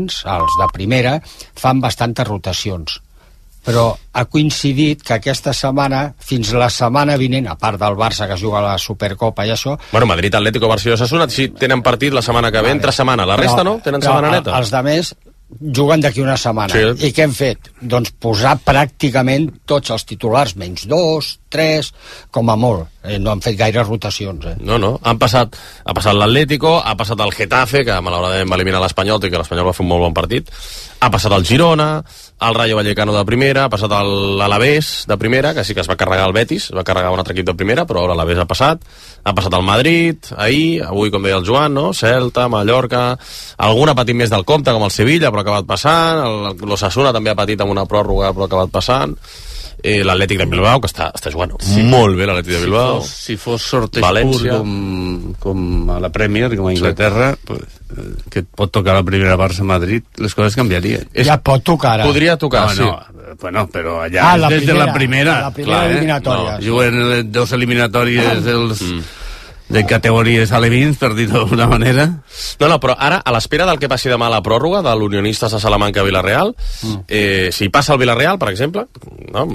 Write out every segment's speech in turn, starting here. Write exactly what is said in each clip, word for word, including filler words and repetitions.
els de primera, fan bastantes rotacions. Però ha coincidit que aquesta setmana, fins la setmana vinent, a part del Barça que juga a la Supercopa i això... Bueno, Madrid, Atlético, Barça i Osasuna, sí, tenen partit la setmana que ve, entre setmana. La resta, no? Tenen setmana neta. Els de més juguen d'aquí una setmana. Sí. I què hem fet? Doncs posar pràcticament tots els titulars, menys dos, tres, com a molt. Eh, no han fet gaire rotacions. Eh? No, no. Han passat, ha passat l'Atlético, ha passat el Getafe, que malauradament va eliminar l'Espanyol, i que l'Espanyol va fer un molt bon partit. Ha passat el Girona, el Rayo Vallecano de primera, ha passat l'Alavés de primera, que sí que es va carregar el Betis, es va carregar un altre equip de primera, però ara l'Alavés ha passat. Ha passat el Madrid, ahir, avui, com deia el Joan, no? Celta, Mallorca, algun ha patit més del compte, com el Sevilla, però ha acabat passant, l'Osasuna també ha patit amb una pròrroga, però ha acabat passant. Eh, l'Atlètic de Bilbao, que està, està jugant sí. molt bé l'Atlètic de Bilbao. Si fos, si fos sorteig pur com, com a la Premier, com a Anglaterra, sí. pues, eh, que et pot tocar la primera Barça-Madrid, les coses canviarien. Ja pot tocar ara. Podria tocar, no, sí. No, bueno, però allà ah, des de la primera. La primera clar, eliminatòria. Eh? No, juguen dos eliminatòries dels... Mm. de categories alevins, per dir-ho d'alguna manera. No, no, però ara, a l'espera del que passi demà a la pròrroga de l'Unionistes a Salamanca-Villarreal, mm. eh, si passa el Villarreal, per exemple... No,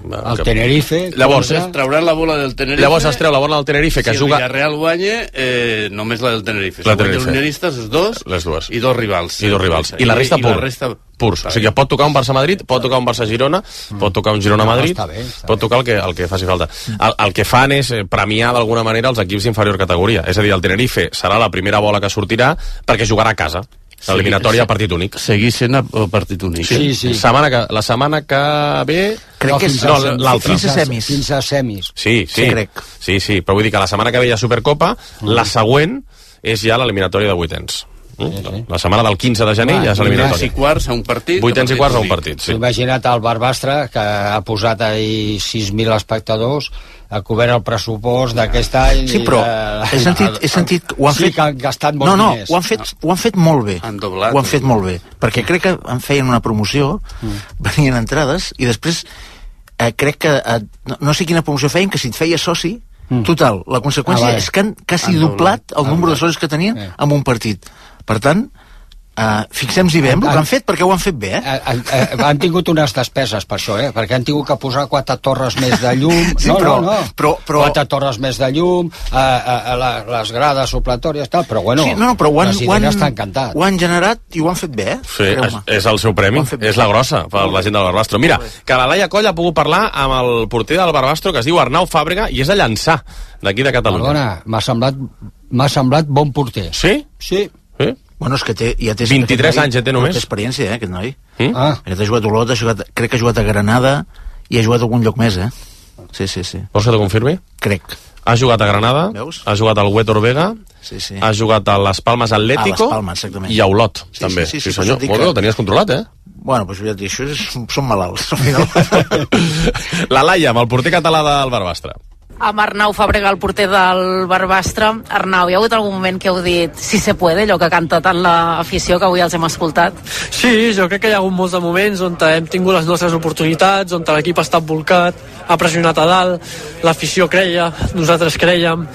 el que... Tenerife... Llavors, es trauran la bola del Tenerife... Llavors es treu la bola del Tenerife, que si juga... Si el Villarreal guanya, eh, només la del Tenerife. La si Tenerife. L'Unionistes, els dos, les dues. I dos rivals. I dos rivals. I la resta I, pur. I la resta... purs. O sigui, pot tocar un Barça-Madrid, pot tocar un Barça-Girona, mm. pot tocar un Girona-Madrid, no, bé, pot tocar el que, el que faci falta. El, el que fan és premiar d'alguna manera els equips d'inferior categoria. És a dir, el Tenerife serà la primera bola que sortirà perquè jugarà a casa. L'eliminatòria a partit únic. Seguir sent a partit únic. Sí, sí. La setmana que, la setmana que ve... Crec no, que és no, l'altra. Fins a semis. Fins a semis. Sí, sí. Sí, crec. Sí, sí, però vull dir que la setmana que ve hi ha Supercopa, mm. la següent és ja l'eliminatòria de vuitens. Sí, sí. La setmana del quinze de gener ja és l'eliminatòria. Vuitens i quarts a un partit. Vuitens i quarts a un partit, sí. Imagina't el Barbastre, que ha posat ahir sis mil espectadors, ha cobert el pressupost d'aquest any... Sí, però i, he sentit, he sentit ho han sí, fet... que han gastat molts no, no, diners. ho han fet, ho han fet molt bé. Han doblat. Ho han fet molt bé. Perquè crec que en feien una promoció, mm. venien entrades, i després eh, crec que... Eh, no, no sé quina promoció feien, que si et feia soci, mm. total, la conseqüència ah, vale. és que han quasi han doblat el ah, número de socis que tenien eh. en un partit. Per tant... Uh, fixem-s'hi bé amb el que han fet, perquè ho han fet bé, eh? Uh, uh, uh, han tingut unes despeses per això, eh? Perquè han tingut que posar quatre torres més de llum. Sí, no, però, no, no. Però, però... Quatre torres més de llum, uh, uh, uh, la, les grades supletòries, tal, però bueno, sí, no, no, però ho han, ho han, ho han generat i ho han fet bé, eh? Sí, és, és el seu premi, és la grossa per la gent del Barbastro. Mira, que la Laia Coll ha pogut parlar amb el porter del Barbastro, que es diu Arnau Fàbrega, i és a Llançà, d'aquí de Catalunya. Perdona, m'ha semblat, m'ha semblat bon porter. Sí? Sí. Sí? Bueno, és que té, ja té... vint-i-tres anys ja té només. Té experiència, eh, aquest noi. Mm? Ah. Aquest ha jugat a Olot, ha jugat, crec que ha jugat a Granada i ha jugat a algun lloc més, eh? Sí, sí, sí. Vols que t'ho confirmi? Crec. Ha jugat a Granada, Veus? ha jugat al Huetor Vega, sí, sí. ha jugat a les Palmes Atlético a les Palmes, exactament. I a Olot, sí, també. Sí, sí, sí, sí, senyor. Sí, Molt bé, ho tenies controlat, eh? Bueno, doncs ja et dic, això és, són malalts, al final. La Laia, amb el porter català del Barbastre. Amb Arnau Fàbrega, el porter del Barbastre. Arnau, hi ha hagut algun moment que heu dit si se puede, allò que canta tant l'afició, que avui els hem escoltat? Sí, jo crec que hi ha hagut molts de moments on hem tingut les nostres oportunitats, on l'equip ha estat volcat, ha pressionat a dalt, l'afició creia, nosaltres creiem.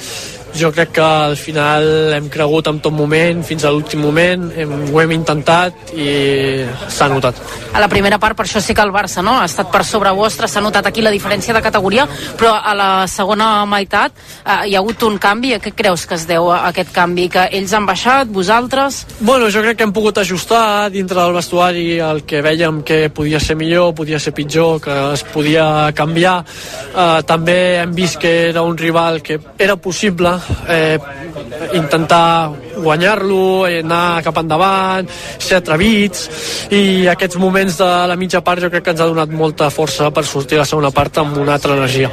Jo crec que al final hem cregut en tot moment, fins a l'últim moment, hem, ho hem intentat i s'ha notat. A la primera part, per això sí que el Barça no? ha estat per sobre vostre, s'ha notat aquí la diferència de categoria, però a la segona meitat eh, hi ha hagut un canvi. A què creus que es deu a aquest canvi? Que ells han baixat, vosaltres? Bueno, jo crec que hem pogut ajustar dintre del vestuari el que vèiem que podia ser millor, podia ser pitjor, que es podia canviar. Eh, també hem vist que era un rival que era possible Eh, intentar guanyar-lo, anar cap endavant, ser atrevits, i aquests moments de la mitja part jo crec que ens ha donat molta força per sortir a la segona part amb una altra energia.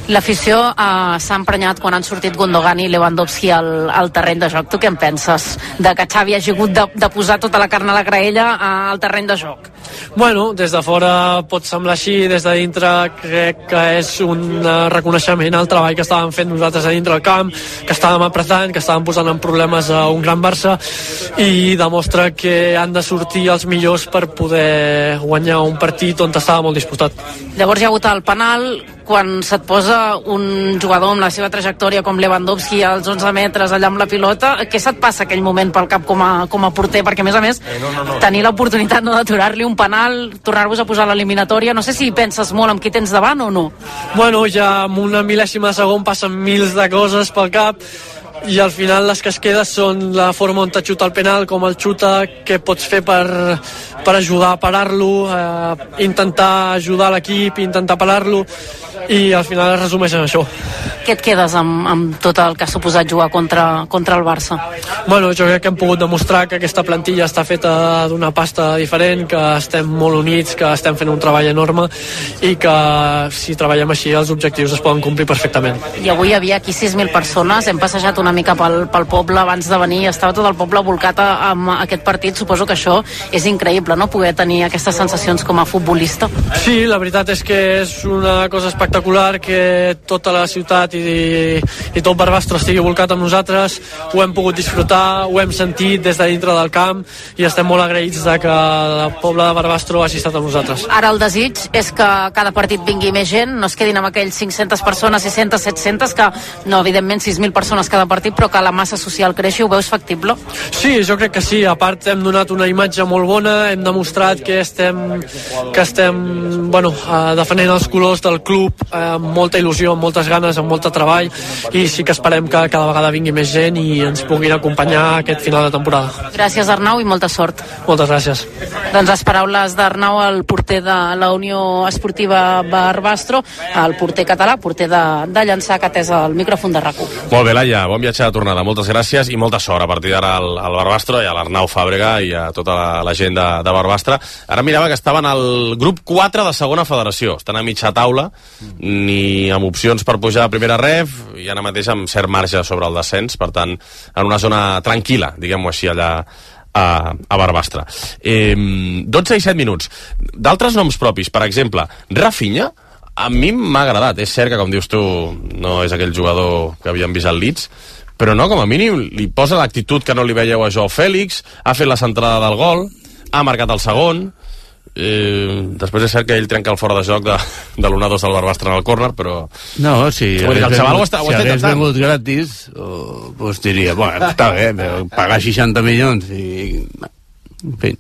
L'afició eh, s'ha emprenyat quan han sortit Gundogan i Lewandowski al, al terreny de joc. Tu què en penses? De que Xavi hagi hagut de, de posar tota la carn a la graella eh, al terreny de joc? Bueno, des de fora pot semblar així, des de dintre crec que és un reconeixement al treball que estàvem fent nosaltres a dintre del camp, que estàvem apretant, que estàvem posant en problemes a un gran Barça, i demostra que han de sortir els millors per poder guanyar un partit on estava molt disputat. Llavors hi ha hagut el penal. quan se't posa un jugador amb la seva trajectòria com Lewandowski als onze metres allà amb la pilota, què se't passa aquell moment pel cap com a, com a porter? Perquè a més a més eh, no, no, no. tenir l'oportunitat no, d'aturar-li un penal, tornar-vos a posar a l'eliminatòria, no sé si penses molt amb qui tens davant o no. Bueno, ja amb una mil·lèsima de segon passen mils de coses pel cap i al final les que es queden són la forma on te xuta el penal, com el xuta, què pots fer per, per ajudar a parar-lo, eh, intentar ajudar l'equip, intentar parar-lo, i al final es resumeix en això. Què et quedes amb, amb tot el que ha suposat jugar contra, contra el Barça? Bueno, jo crec que hem pogut demostrar que aquesta plantilla està feta d'una pasta diferent, que estem molt units, que estem fent un treball enorme i que si treballem així els objectius es poden complir perfectament. I avui hi havia aquí sis mil persones, hem passejat una mica pel, pel poble abans de venir, estava tot el poble volcat amb aquest partit, suposo que això és increïble, no?, poder tenir aquestes sensacions com a futbolista. Sí, la veritat és que és una cosa espectacular que tota la ciutat i, i tot Barbastro estigui volcat amb nosaltres, ho hem pogut disfrutar, ho hem sentit des de dintre del camp i estem molt agraïts de que el poble de Barbastro hagi estat amb nosaltres. Ara el desig és que cada partit vingui més gent, no es quedin amb aquells cinc-centes persones, sis-centes, set-centes, que no, evidentment sis mil persones cada partit, però que la massa social creixi, ho veus factible? Sí, jo crec que sí, a part hem donat una imatge molt bona, hem demostrat que estem, que estem bueno, eh, defendent els colors del club amb molta il·lusió, amb moltes ganes, amb molt treball, i sí que esperem que cada vegada vingui més gent i ens puguin acompanyar aquest final de temporada. Gràcies, Arnau, i molta sort. Moltes gràcies. Doncs les paraules d'Arnau, el porter de la Unió Esportiva Barbastro, el porter català, porter de, de llançar, que ha atès el micròfon de RAC u. Molt bé, Laia, bon viatge de tornada, moltes gràcies i molta sort a partir d'ara al, al Barbastro i a l'Arnau Fàbrega i a tota la, la gent de, de Barbastre. Ara mirava que estaven al grup quatre de segona federació, estan a mitja taula, ni amb opcions per pujar a primera ref i ara mateix amb cert marge sobre el descens, per tant, en una zona tranquil·la, diguem-ho així, allà a, a Barbastre. Eh, dotze i set minuts. D'altres noms propis, per exemple, Rafinha, a mi m'ha agradat. És cert que, com dius tu, no és aquell jugador que havíem vist al Leeds, però no, com a mínim, li posa l'actitud que no li veieu a Joao Fèlix, ha fet la centrada del gol, ha marcat el segon, eh, després és cert que ell trenca el fora de joc de, de l'u dos del Barbastre en el córner, però... No, si hagués vengut, vengut, està, si hagués vengut gratis, oh, pues diria, bueno, està bé, però pagar seixanta milions i... En fi.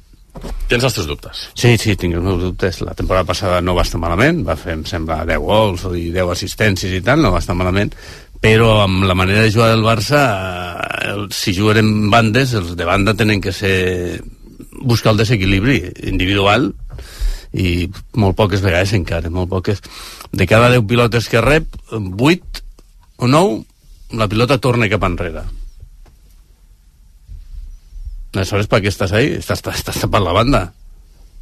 Tens els teus dubtes? Sí, sí, tinc els meus dubtes. La temporada passada no va estar malament, va fer, em sembla, deu gols i deu assistències i tal, no va estar malament, però amb la manera de jugar del Barça, el, si juguen en bandes, els de banda tenen que ser buscar el desequilibri individual i molt poques vegades encara, molt poques. De cada deu pilotes que rep, vuit o nou, la pilota torna cap enrere. Aleshores, per què estàs ahí? Estàs, estàs, estàs tapant la banda.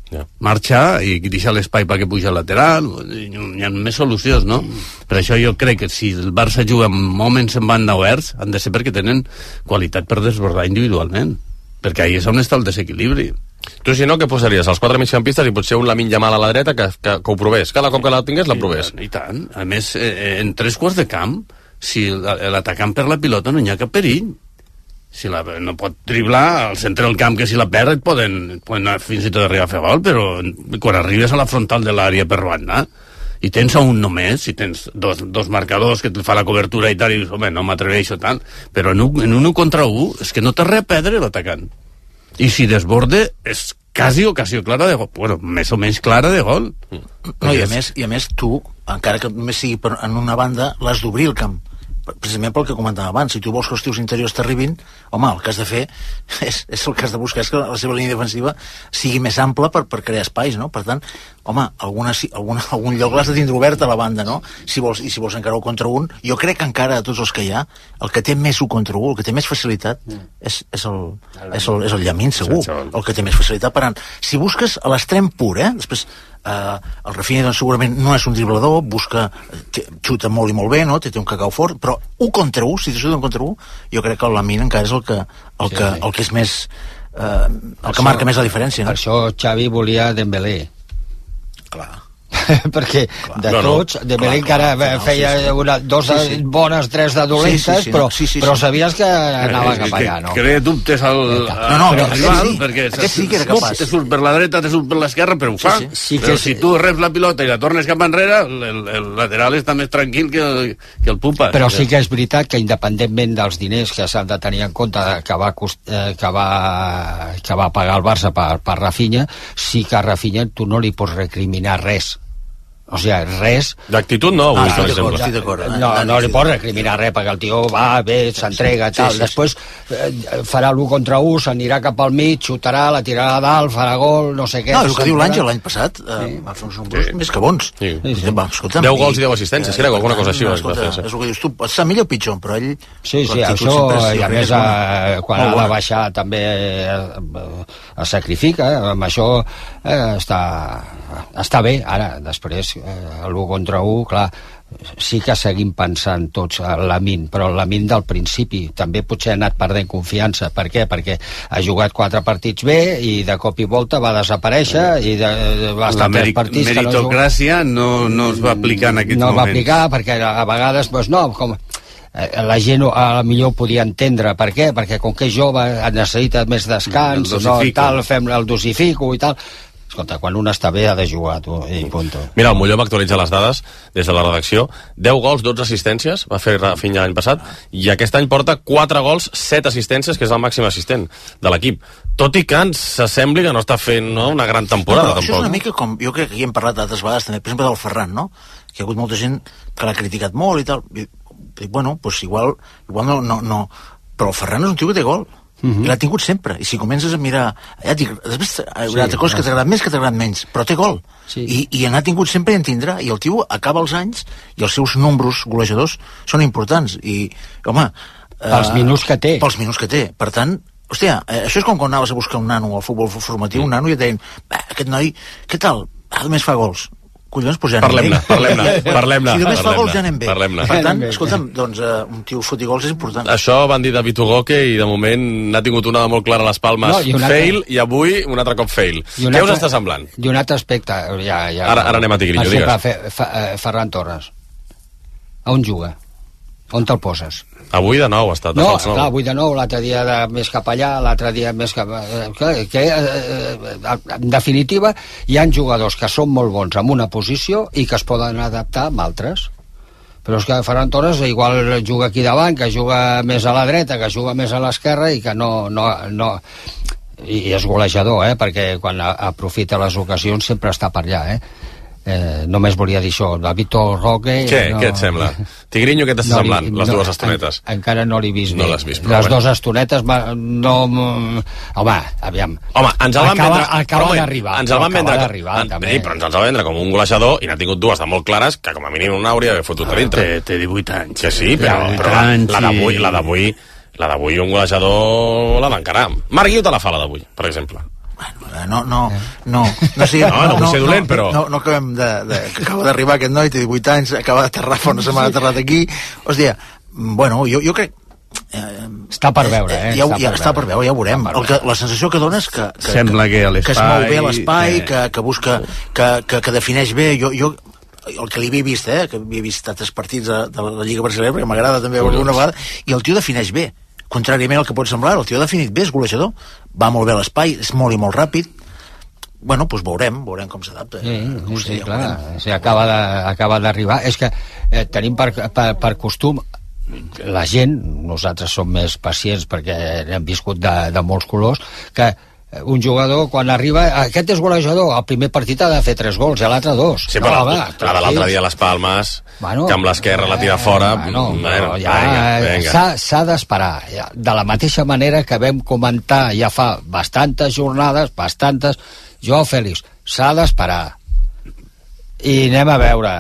Yeah. Marxa i deixa l'espai perquè puja al lateral. Hi ha més solucions, no? Mm. Per això jo crec que si el Barça juga amb moments en banda oberts, han de ser perquè tenen qualitat per desbordar individualment. Perquè ahí és on està el desequilibri. Tu, si no, què posaries? Els quatre migcampistes i potser un Lamine Yamal a la dreta que, que, que ho provés. Cada cop que la tingués, la provés. I, I tant. A més, eh, en tres quarts de camp, si l'atacant per la pilota no hi ha cap perill. Si la, no pot driblar al centre del camp, que si la perd et poden, poden fins i tot arribar a fer gol, però quan arribes a la frontal de l'àrea per banda i tens a un només, si tens dos, dos marcadors que et fa la cobertura i tal, i dius, home, no m'atreveixo tant, però en un, en un u contra u és que no té res a perdre l'atacant, i si desborde és quasi ocasió clara de gol, bueno, més o menys clara de gol. No, i a més, i a més tu, encara que només sigui per, en una banda, l'has d'obrir el camp, precisament pel que comentava abans. Si tu vols que els teus interiors t'arribin, home, el que has de fer és, és el que has de buscar, és que la seva línia defensiva sigui més ampla per, per crear espais, no? Per tant, home, alguna, alguna, algun lloc l'has de tindre obert a la banda, no? Si vols, i si vols encara un contra un, jo crec que encara de tots els que hi ha, el que té més un contra un, el que té més facilitat mm. és, és, el, és, el, és el Llamin, segur, el que té més facilitat. Per tant, si busques a l'extrem pur, eh? Després Uh, el Rafinha doncs, segurament no és un driblador, busca, xuta molt i molt bé, no? té, té un cacau fort, però un contra un, si te xuta un contra un, jo crec que el Lamine encara és el que, el que, el que és més uh, el que això, marca més la diferència, no? Per això Xavi volia Dembélé. Clar. perquè de no, tots, de Belén que ara feia sí, sí. una, dos sí, sí. bones, tres de dolentes, sí, sí, sí, però, sí, sí, sí. però sabies que anava cap allà, no? Crea dubtes al, no, no, al rival, sí, perquè aquest sí que era capaç. te surt per la dreta, te surt per l'esquerra, però ho fa. Sí, sí. Sí però si tu reps la pilota i la tornes cap enrere, el, el, el lateral està més tranquil que el, que el Pupa. Però sí que és veritat que independentment dels diners que s'han de tenir en compte que va, que va, que va pagar el Barça per, per Rafinha, sí que a Rafinha tu no li pots recriminar res. O sigui, res... D'actitud no, avui, ah, per exemple. Estic d'acord. No, no li pots recriminar res, perquè el tio va bé, s'entrega, tal. Sí, sí, sí. Després eh, farà l'u contra u, s'anirà cap al mig, xutarà, la tirarà a dalt, farà gol, no sé què. No, el que diu l'Àngel l'any passat, eh, sí. va fer uns números sí. més que bons. Sí. Sí, sí. Va, escolta'm, deu gols i deu assistències, eh, crec, alguna cosa així. No, escolta, és el que dius tu, està millor o pitjor, però ell... Sí, sí, això, i a més, a, quan ha de baixar també es sacrifica, amb això eh, està, està bé. Ara, després, eh, l'u contra u, clar, sí que seguim pensant tots a Lamine, però Lamine del principi també potser ha anat perdent confiança. Per què? Perquè ha jugat quatre partits bé i de cop i volta va desaparèixer i de, va estar tres partits que no meritocràcia no, no es va aplicar en aquests no moments. No va aplicar perquè a vegades doncs no, com la gent a la millor podia entendre per què, perquè com que és jove necessita més descans, no, tal, fem el dosifico i tal. Escolta, quan un està bé ha de jugar, tu, i punto. Mira, el Molló m'actualitza les dades des de la redacció. deu gols, dotze assistències, va fer Rafinha l'any passat, i aquest any porta quatre gols, set assistències, que és el màxim assistent de l'equip. Tot i que ens s'assembli que no està fent no, una gran temporada, no, tampoc. Això és una mica com, jo crec que aquí hem parlat altres vegades també, per exemple del Ferran, no? Que hi ha hagut molta gent que l'ha criticat molt i tal. I, dic, bueno, doncs igual, igual no, no, no, però el Ferran és un tio que té gol. Uh-huh. I l'ha tingut sempre, i si comences a mirar ja dic, després hi haurà sí, coses que t'agraden més que t'agraden menys, però té gol sí. I, i n'ha tingut sempre i en tindrà, i el tio acaba els anys i els seus números golejadors són importants i, home pels eh, minuts que té pels minuts que té, per tant, hòstia, eh, això és com quan anaves a buscar un nano al futbol formatiu, un nano i et deien, aquest noi, què tal? Ah, només fa gols. Collons, pues ja parlem-ne, parlem-ne, parlem-ne. Si només fa gols ja anem bé. Per tant, bé. escolta'm, doncs uh, un tio foti gols és important. Això van dir de Vitor Goque i de moment n'ha tingut una de molt clara a les Palmes, no, i fail, altre... i avui un altre cop fail. Què altre... us està semblant? I un altre aspecte, ja... ja ara, ara anem a Tigrillo, digues. Fe, fe, Ferran Torres, a on juga? On te'l poses? Avui de nou ha estat de no, fals nou. Clar, avui de nou, l'altre dia de, més cap allà, l'altre dia més cap... Que, que, eh, en definitiva, hi ha jugadors que són molt bons en una posició i que es poden adaptar amb altres. Però és que Ferran Torres igual juga aquí davant, que juga més a la dreta, que juga més a l'esquerra i que no... no, no i és golejador, eh? Perquè quan aprofita les ocasions sempre està per allà, eh? Eh, només volia dir això, de Vitor Roque... Què? No... Què et sembla? Tigrinho, què t'està no, semblant, les no, dues estonetes? En, encara no l'he vist no bé. L'has vist, les bé. dues estonetes no... Home, aviam. Home, ens el van acaba, vendre... Acaba d'arribar. Ens el van vendre... En, sí, però ens el van vendre com un golejador i n'ha tingut dues de molt clares que com a mínim una hauria d'haver fotut a dintre. Té, té divuit anys. Que sí, però, però la, la d'avui... La d'avui la d'avui un golejador l'ha d'encarar. Marc Guiu te la fa, la d'avui, per exemple. Bueno, no, no, no, no, sé, no, no, no vull ser dolent, no, però... No, no acabem de... de acaba d'arribar aquest noi, té divuit anys, acaba d'aterrar fa una setmana aterrat aquí. Hòstia, bueno, jo, jo crec... Eh, està per veure, eh? Ja, ja, està per veure, ja ho veurem. El que, la sensació que dona és que... que Sembla que, que, que es mou bé l'espai, que, que busca... Que, que, que defineix bé... Jo, jo, el que li havia vist, eh? Que havia vist altres partits de, de la Lliga Brasileña, perquè m'agrada també veure una vegada, i el tio defineix bé. Contràriament al que pot semblar, el tio ha definit bé, és golejador, va molt bé a l'espai, és molt i molt ràpid. Bueno, doncs veurem, veurem com s'adapta. Sí, sí, sí, clar, sí, acaba de, acaba d'arribar. És que eh, tenim per, per, per costum, la gent, nosaltres som més pacients perquè hem viscut de, de molts colors, que un jugador quan arriba, aquest és golejador, el primer partit ha de fer tres gols i l'altre dos. Sí, però no, la, la de l'altre dia a les Palmes, bueno, que amb l'esquerra la tira fora, bueno, bueno, ja s'ha d'esperar. Ja, de la mateixa manera que vam comentar ja fa bastantes jornades, bastantes, Joao Fèlix, s'ha d'esperar. I anem a veure.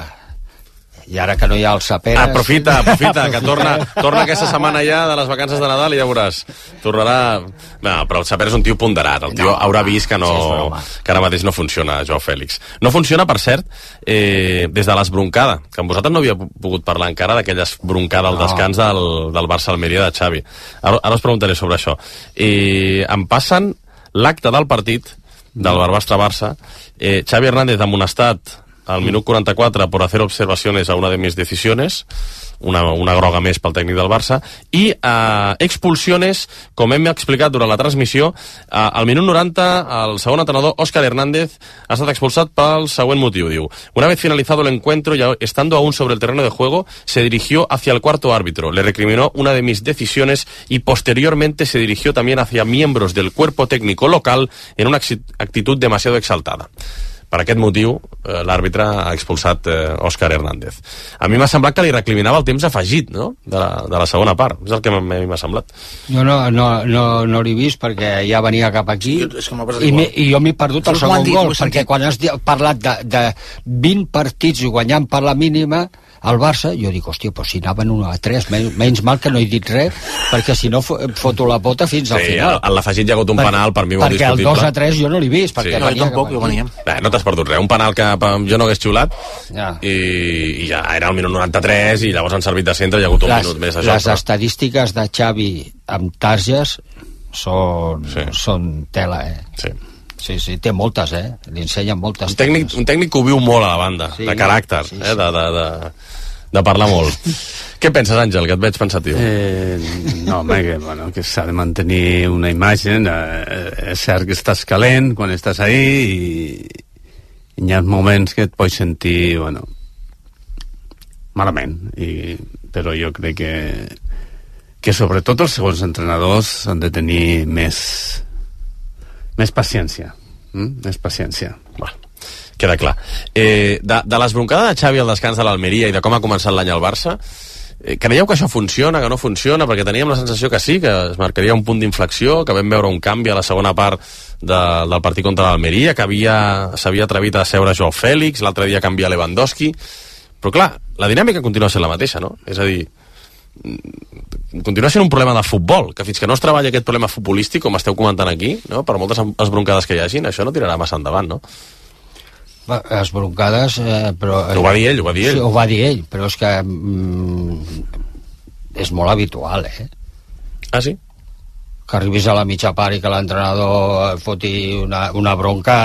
I ara que no hi ha el Saperes... Aprofita, aprofita, que torna, torna aquesta setmana ja de les vacances de Nadal i ja veuràs. Tornarà... No, però el Saperes és un tio ponderat. El tio no, haurà vist que, no, sí, que ara mateix no funciona, Joao Fèlix. No funciona, per cert, eh, des de l'esbroncada, que amb vosaltres no havia pogut parlar encara d'aquella esbroncada al descans del, del Barça-Almeria de Xavi. Ara, ara us preguntaré sobre això. Eh, em passen l'acte del partit del Barbastre-Barça, eh, Xavi Hernández amonestat al minut quaranta-quatre por hacer observaciones a una de mis decisiones, una, una groga més pel tècnic del Barça, i eh, expulsiones, com hem explicat durant la transmissió, eh, al minut noranta el segon entrenador, Óscar Hernández, ha estat expulsat pel següent motiu, diu: una vez finalizado el encuentro y estando aún sobre el terreno de juego, se dirigió hacia el cuarto árbitro, le recriminó una de mis decisiones y posteriormente se dirigió también hacia miembros del cuerpo técnico local en una actitud demasiado exaltada. Per aquest motiu, eh, l'àrbitre ha expulsat eh, Óscar Hernández. A mi m'ha semblat que li recriminava el temps afegit, no?, de la, de la segona part. És el que m'ha semblat. Jo no, no, no, no l'he vist perquè ja venia cap aquí, sí, és que i, i jo m'he perdut el segon gol, perquè quan has parlat de, de vint partits i guanyant per la mínima al Barça, jo dic, hòstia, però si anaven un a tres, menys, menys mal que no he dit res, perquè si no foto la pota fins al sí, final. En l'afegit hi ha hagut un per, penal, per mi molt perquè discutible. Perquè el dos a tres jo no l'he vist, perquè sí. no, tampoc, jo venia. Bé, no t'has perdut res, un penal que jo no hagués xiulat, ja. I, i ja era el minut noranta-tres, i llavors han servit de centre, hi ha hagut un les, minut més. Això, les però... estadístiques de Xavi amb targes són, sí. són tela, eh? Sí. Sí, sí, té moltes, eh? Li ensenyen moltes. Un tècnic, un tècnic que ho viu molt a la banda, sí, de caràcter, sí, sí. Eh? De, de, de, de parlar molt. Què penses, Àngel, que et veig pensatiu? Eh, no, home, que, bueno, que s'ha de mantenir una imatge. Eh, és cert que estàs calent quan estàs ahí i, i hi ha moments que et pots sentir, bueno, malament. I, però jo crec que que sobretot els segons entrenadors han de tenir més més paciència. Mm? Més paciència. Bueno, queda clar. Eh, de, de l'esbroncada de Xavi al descans de l'Almeria i de com ha començat l'any al Barça, eh, creieu que això funciona, que no funciona? Perquè teníem la sensació que sí, que es marcaria un punt d'inflexió, que vam veure un canvi a la segona part de, del partit contra l'Almeria, que s'havia atrevit a seure Joao Fèlix, l'altre dia canvia Lewandowski, però clar, la dinàmica continua sent la mateixa, no? És a dir, continua sent un problema de futbol, que fins que no es treballa aquest problema futbolístic, com esteu comentant aquí, no? Per moltes esbroncades que hi hagin, això no tirarà massa endavant, no? Esbroncades, eh, però... Ho va dir ell, ho va dir ell. Sí, ho va dir ell, però és que mm, és molt habitual, eh? Ah, sí? Que arribis a la mitja part i que l'entrenador foti una, una bronca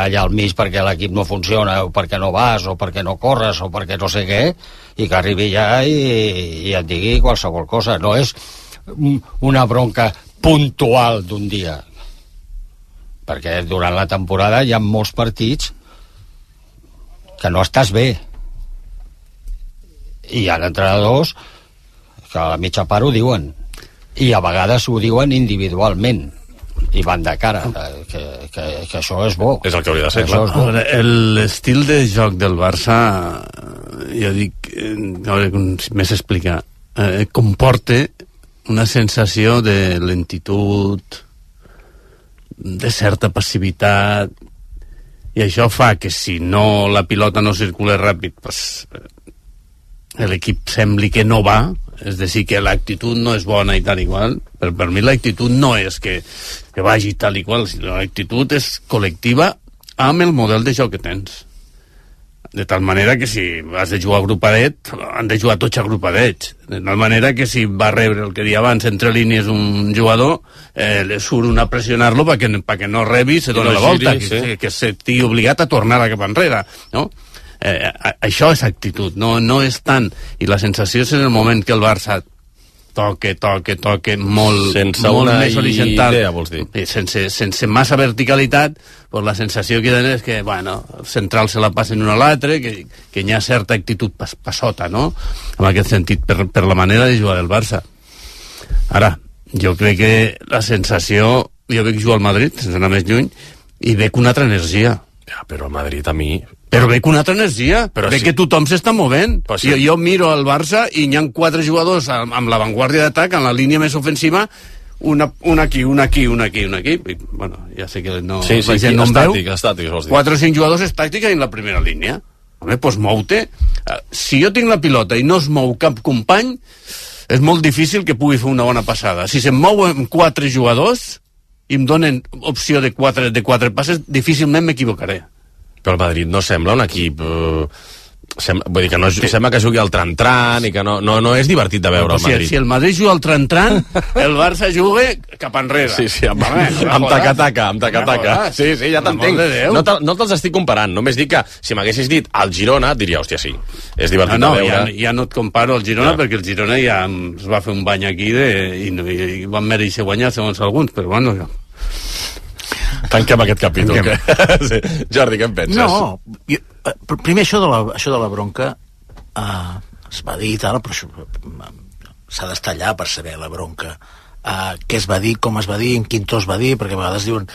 allà al mig perquè l'equip no funciona, o perquè no vas, o perquè no corres, o perquè no sé què, i que arribi ja i, i et digui qualsevol cosa. No és una bronca puntual d'un dia, perquè durant la temporada hi ha molts partits que no estàs bé, i hi ha entrenadors que a la mitja part ho diuen, i a vegades ho diuen individualment i van de cara, que, que, que això és bo. És el que hauria de ser, clar. L'estil de joc del Barça, jo dic, a veure com més explicar, eh, comporta una sensació de lentitud, de certa passivitat, i això fa que si no la pilota no circula ràpid, pues, l'equip sembli que no va, és a dir, que l'actitud no és bona i tal i qual. Per, per mi l'actitud no és que, que vagi tal i qual, sinó l'actitud és col·lectiva amb el model de joc que tens. De tal manera que si has de jugar agrupadet, han de jugar tots agrupadets. De tal manera que si va rebre el que dia abans entre línies un jugador, eh, le surt una a pressionar-lo perquè, perquè no rebi, se dona no la volta, giri, que, sí. que, que s'estigui obligat a tornar a cap enrere, no? Eh, això és actitud, no, no és tant, i la sensació és en el moment que el Barça toque, toque, toque molt, sense molt una més horitzontal, idea, vols dir? Sense, sense massa verticalitat, pues la sensació que donen és que, bueno, els centrals se la passen un a l'altre, que, que hi ha certa actitud pas, passota, no? En aquest sentit, per, per la manera de jugar del Barça. Ara, jo crec que la sensació, jo veig jugar al Madrid, sense anar més lluny, i veig una altra energia. Ja, però el Madrid a mi... Però veig una altra energia, però veig sí. que tothom s'està movent. Sí. Jo, jo miro el Barça i hi ha quatre jugadors amb, amb l'avantguàrdia d'atac, en la línia més ofensiva, una, una aquí, una aquí, una aquí, una aquí. I, bueno, ja sé que no, sí, sí, la gent no em veu. Estàtic, vols dir. Quatre o cinc jugadors estàtics en la primera línia. Home, doncs mou-te. Si jo tinc la pilota i no es mou cap company, és molt difícil que pugui fer una bona passada. Si se'm mouen quatre jugadors i em donen opció de quatre, de quatre passes, difícilment m'equivocaré. Però el Madrid no sembla un equip eh, Sem vull dir que no, sí. sembla que jugui al tran-tran i que no, no, no és divertit de veure el si, Madrid. Si el Madrid juga al tran-tran, el Barça juga cap enrere. Sí, sí, amb, amb taca-taca, amb taca-taca. Sí, sí, ja t'entenc. No te'ls te, no estic comparant, només dic que si m'haguessis dit al Girona, diria, hòstia, sí, és divertit no, no, de veure. Ja, ja no et comparo al Girona, ja. perquè el Girona ja es va fer un bany aquí de, i, i, i van mereixer guanyar, segons alguns, però bueno... Ja. Tanquem aquest capítol. Que... sí. Jordi, què en penses? No, jo, primer això de la, això de la bronca uh, es va dir i tal, però això s'ha d'estar allà per saber la bronca, uh, què es va dir, com es va dir, en quin to es va dir, perquè a vegades diuen,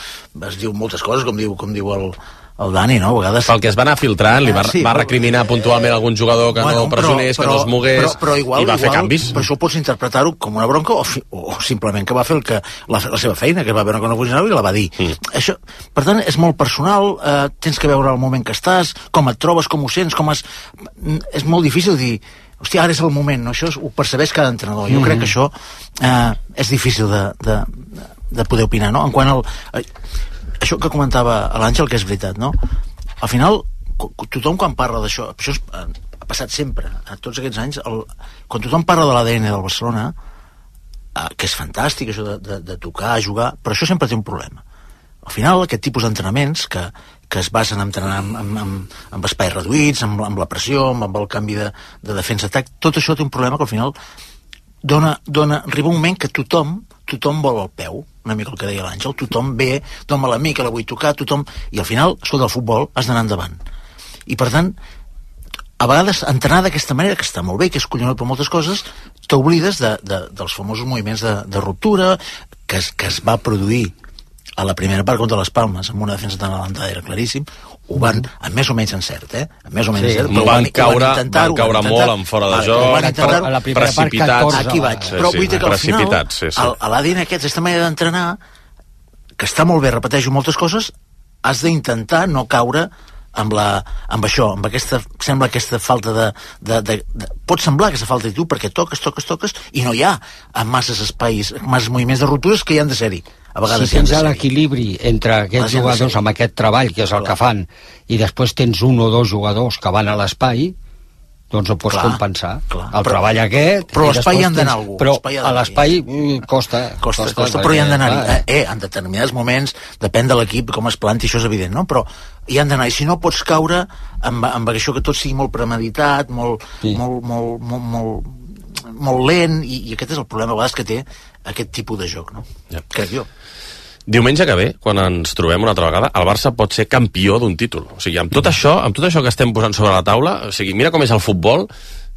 es diu moltes coses, com diu, com diu el, el Dani, no? A vegades... Pel que es va anar filtrant, li va, sí, va recriminar però, puntualment algun jugador que bueno, no pressionés, però, que no es mogués, però, però igual, i va igual, fer canvis. Per això pots interpretar-ho com una bronca o, fi, o simplement que va fer el que, la, la seva feina, que va veure que no funcionava i la va dir. Mm. Això, per tant, és molt personal, eh, tens que veure el moment que estàs, com et trobes, com ho sents, com es... És molt difícil dir, hòstia, ara és el moment, no? Això és, ho percebeix cada entrenador. Jo mm. crec que això eh, és difícil de, de, de poder opinar, no? En quant al... Eh, això que comentava l'Àngel, que és veritat, no? Al final, tothom quan parla d'això, això és, ha passat sempre, a tots aquests anys, el, quan tothom parla de l'A D N del Barcelona, eh, que és fantàstic, això de, de, de tocar, jugar, però això sempre té un problema. Al final, aquest tipus d'entrenaments, que, que es basen en entrenar amb, amb, amb, amb espais reduïts, amb, amb la pressió, amb, amb el canvi de, de defensa-atac, tot això té un problema que al final dona, dona, arriba un moment que tothom tothom vol el peu, una mica el que deia l'Àngel, tothom ve, doma la mi, que la vull tocar, tothom... I al final, escolta, el futbol has d'anar endavant. I per tant, a vegades, entrenar d'aquesta manera, que està molt bé, que és collonut per moltes coses, t'oblides de, de, dels famosos moviments de, de ruptura que es, que es va produir a la primera part contra les Palmes, amb una defensa tan adelantada, era claríssim, ho van, amb més o menys encert, eh? Amb més o menys sí, encert, però van, van caure, van caure van molt en fora de joc, a la primera part catorze, aquí vaig, sí, però vull dir que al final, sí, sí. a l'A D N aquest, aquesta manera d'entrenar, que està molt bé, repeteixo moltes coses, has d'intentar no caure amb, la, amb això, amb aquesta, sembla aquesta falta de, de, de, de... Pot semblar aquesta falta d'actitud perquè toques, toques, toques, i no hi ha masses espais, masses moviments de ruptures que hi han de ser-hi. A vegades si tens l'equilibri entre aquests jugadors amb aquest treball, que és el que fan, i després tens un o dos jugadors que van a l'espai, doncs ho pots clar, compensar. Clar. El però, treball aquest... Però a l'espai hi han d'anar algú. Però a l'espai costa, costa. Costa, costa, però hi han d'anar. Eh, eh, en determinats moments, depèn de l'equip, com es planti, això és evident, no? Però hi han d'anar. I si no pots caure amb, amb això que tot sigui molt premeditat, molt, sí. molt, molt, molt, molt, molt lent, i, i aquest és el problema a vegades que té aquest tipus de joc, no? Ja. Crec jo. Diumenge que ve, quan ens trobem una altra vegada, el Barça pot ser campió d'un títol. O sigui, amb tot això, amb tot això que estem posant sobre la taula, o sigui, mira com és el futbol,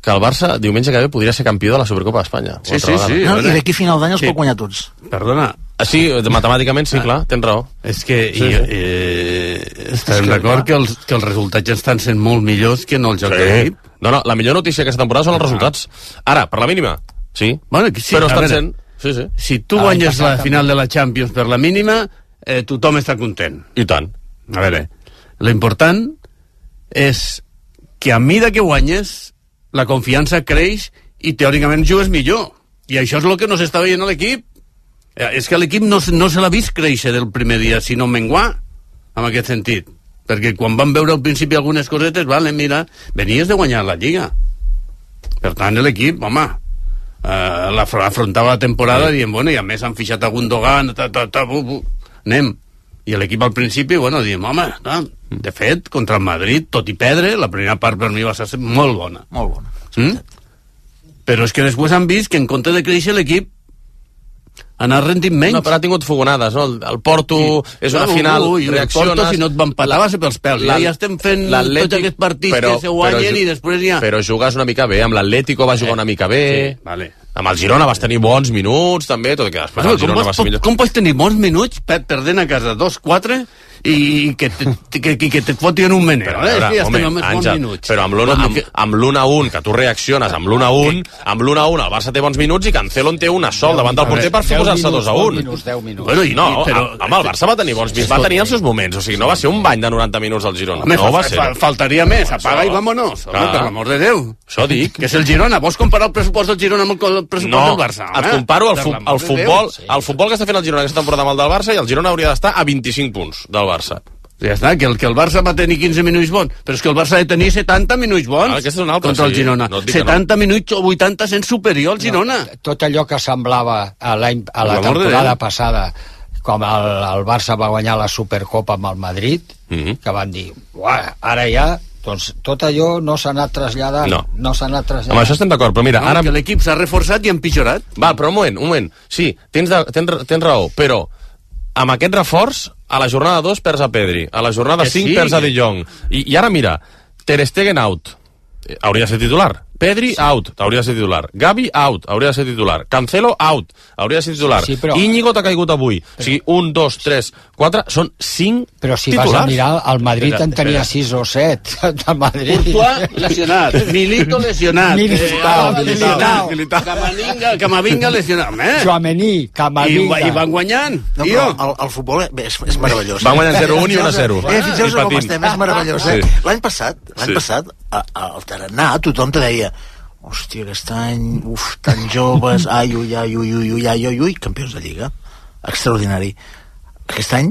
que el Barça, diumenge que ve, podria ser campió de la Supercopa d'Espanya. Sí, sí, sí. No, I d'aquí a final d'any els sí. pot guanyar tots. Perdona. Ah, sí, matemàticament sí, ah. clar, tens raó. És que sí, sí. Eh, estarem d'acord que, els, que els resultats estan sent molt millors que en el joc sí. de l'equip. No, no, la millor notícia aquesta temporada són els resultats. Ara, per la mínima, sí, bueno, sí però estan sent... Sí, sí. Si tu ah, guanyes la final de la Champions per la mínima, eh, tothom està content. I tant. A veure, l'important és que a mida que guanyes, la confiança creix i teòricament jugues millor. I això és el que no s'està veient a l'equip. Eh, és que l'equip no, no se l'ha vist créixer del primer dia, sinó menguar, en aquest sentit. Perquè quan van veure al principi algunes cosetes, vale, mira, venies de guanyar la Lliga. Per tant, l'equip, home... Uh, l'afrontava la temporada sí. dient, bueno, i a més han fixat a Gundogan, ta, ta, ta, bu, bu. anem. I l'equip al principi, bueno, diem, home, no. de fet, contra el Madrid, tot i perdre, la primera part per mi va ser molt bona. Molt bona. Mm? Però és que després han vist que en compte de créixer l'equip anar rendint menys. No, però ha tingut fogonades, no? El, el Porto sí. és una no, final, ui, reacciones... El Porto, si no et va empatar, va ser pels pèls. Ja, ja estem fent tots aquests partits però, que se guanyen i després ja... Però jugues una mica bé, amb l'Atlético va jugar eh. una mica bé... Sí, vale. Amb el Girona vas tenir bons minuts, també, tot i que després bueno, el Girona com va ser millor. Com pots tenir bons minuts perdent a casa dos quatre i que te, que, que, que te fotin un meneo, però, eh? Veure, ja home, estem amb Àngel, minuts. Però amb l'un amb, amb l'un a un, que tu reacciones amb l'un a un, amb l'un a un el Barça té bons minuts i Cancelo en té una sol davant del porter per fer posar-se dos a un. deu minuts. Bueno, i, no, però, home, el Barça va tenir bons minuts, va tenir els seus moments, o sigui, no va ser un bany de noranta minuts al Girona. Home, no va ser. Faltaria més, apaga i vámonos. Home, per l'amor de Déu. Això dic. Que és el Girona, vols comparar el pressupost del Girona amb el pressupost no, del Barça? No, et comparo el, fu el futbol el futbol que està fent el Girona aquesta temporada amb el del Barça i el Girona hauria d'estar a vint-i-cinc punts del Barça. Ja està, que el, que el Barça va tenir quinze minuts bons, però és que el Barça ha de tenir setanta minuts bons ah, és un altre, contra el sí. Girona. No setanta no. minuts o vuitanta sent superior al Girona. No, tot allò que semblava a, la, a la temporada passada, com el, el Barça va guanyar la Supercopa amb el Madrid, mm-hmm. que van dir, ara ja... Doncs tot allò no s'ha anat traslladant. No. No s'ha anat traslladant. Amb això estem d'acord, però mira... No, ara... que l'equip s'ha reforçat i empitjorat. Va, però un moment, un moment. Sí, tens, de, tens, tens raó, però amb aquest reforç, a la jornada dos perds a Pedri, a la jornada cinc sí. perds a De Jong. I, I ara mira, Ter Stegen out, hauria de ser titular. Pedri out, hauria de ser titular. Gavi out, hauria de ser titular. Cancelo out, hauria de ser titular. Sí, però... Íñigo t'ha caigut avui. Però... O sigui, un, dos, tres, quatre, són cinc però si titulars. Vas a mirar, el Madrid espera, en tenia sis o set. El Madrid. Courtois lesionat, Milito lesionat, Militao, eh, Militao, Militao. Camavinga, Camavinga lesionat. Eh? Chouameni, Camavinga. I, I van guanyant. No, però el, el futbol bé, és, és meravellós. Van guanyant zero un i un a zero. Eh, fixeu-vos com estem, és meravellós. Eh? Sí. L'any passat, l'any sí. passat, al Tarannà, tothom te deia hòstia, aquest any, uf, tan joves, ai, ui, ai, ui, ui, ui, ai, ui, ui, campions de Lliga. Extraordinari. Aquest any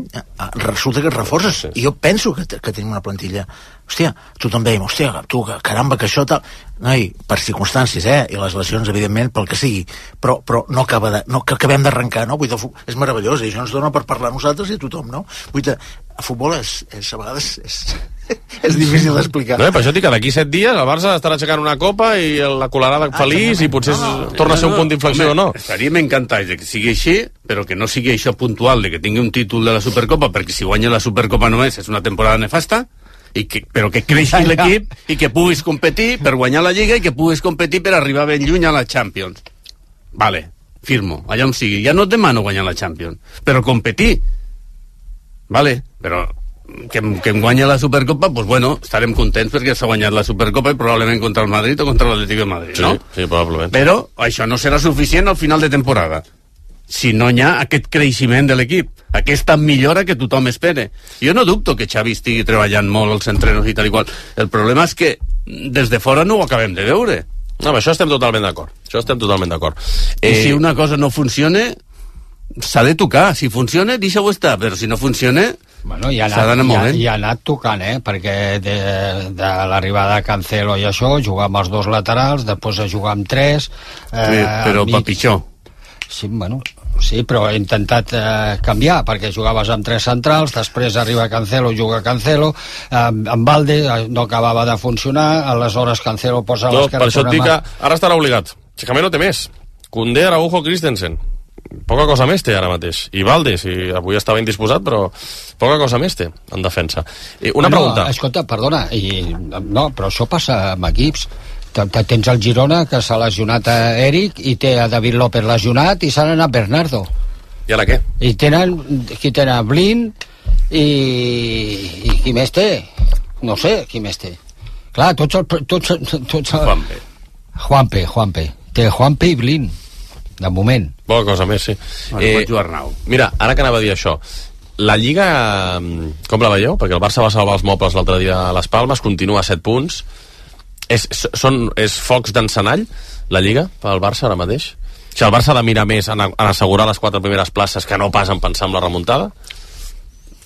resulta que es reforces. I jo penso que, que tenim una plantilla... Hòstia, tothom dèiem, hòstia, tu, caramba, que això tal... Noi, per circumstàncies, eh? I les lesions, evidentment, pel que sigui. Però, però no acaba de... No, que acabem d'arrencar, no? Vull dir, és meravellós, i això ens dona per parlar nosaltres i tothom, no? Vull dir, el futbol és, és a vegades... És, és difícil d'explicar. No, per això dic que d'aquí set dies el Barça estarà aixecant una copa i la colarada ah, feliç i potser no, no, torna a ser un punt d'inflexió o no. Estaríem encantats de que sigui així, però que no sigui això puntual, de que tingui un títol de la Supercopa, perquè si guanya la Supercopa només és una temporada nefasta, i que, però que creixi l'equip i que puguis competir per guanyar la Lliga i que puguis competir per arribar ben lluny a la Champions. Vale, firmo, allà on sigui. Ja no et demano guanyar la Champions, però competir. Vale, però... Que, que em guanya la Supercopa, doncs bueno, estarem contents perquè s'ha guanyat la Supercopa i probablement contra el Madrid o contra l'Atlético de Madrid, no? Sí, sí, probablement. Però això no serà suficient al final de temporada si no hi ha aquest creixement de l'equip, aquesta millora que tothom espera. Jo no dubto que Xavi estigui treballant molt als entrenos i tal i qual. El problema és que des de fora no ho acabem de veure. No, amb això estem totalment d'acord. Això estem totalment d'acord. Eh... I si una cosa no funciona, s'ha de tocar. Si funciona, deixa-ho estar, però si no funciona... Bueno, ja ha anat, ja, ja ha anat tocant, eh? Perquè de, de l'arribada de Cancelo i això, jugar amb els dos laterals, després a jugar amb tres... Eh, sí, però per pitjor. Sí, bueno, sí, però he intentat eh, canviar, perquè jugaves amb tres centrals, després arriba Cancelo, juga Cancelo, eh, amb Valde no acabava de funcionar, aleshores Cancelo posa no, l'esquerra... Per això et dic que ara estarà obligat. Xicamé no té més. Koundé, Araujo, Christensen. Poca cosa més té ara mateix. I Valde, si avui estava indisposat, però poca cosa més té en defensa. Eh, una no, pregunta. Escolta, perdona, i, no, però això passa amb equips. Tens el Girona, que s'ha lesionat a Eric, i té a David López lesionat, i s'ha anat Bernardo. I ara què? I tenen, qui tenen Blind, i, i qui més té? No sé, qui més té. Clar, tots el... Tots, tots el... Juanpe. Juanpe, Juanpe. Té Juanpe i Blind. De moment. Poca cosa més, sí. Bueno, eh, mira, ara que anava a dir això, la Lliga, com la veieu? Perquè el Barça va salvar els mobles l'altre dia a les Palmes, continua a set punts. És, són, és focs d'encenall, la Lliga, pel Barça ara mateix? O sigui, el Barça ha de mirar més en, en assegurar les quatre primeres places que no pas en pensar en la remuntada?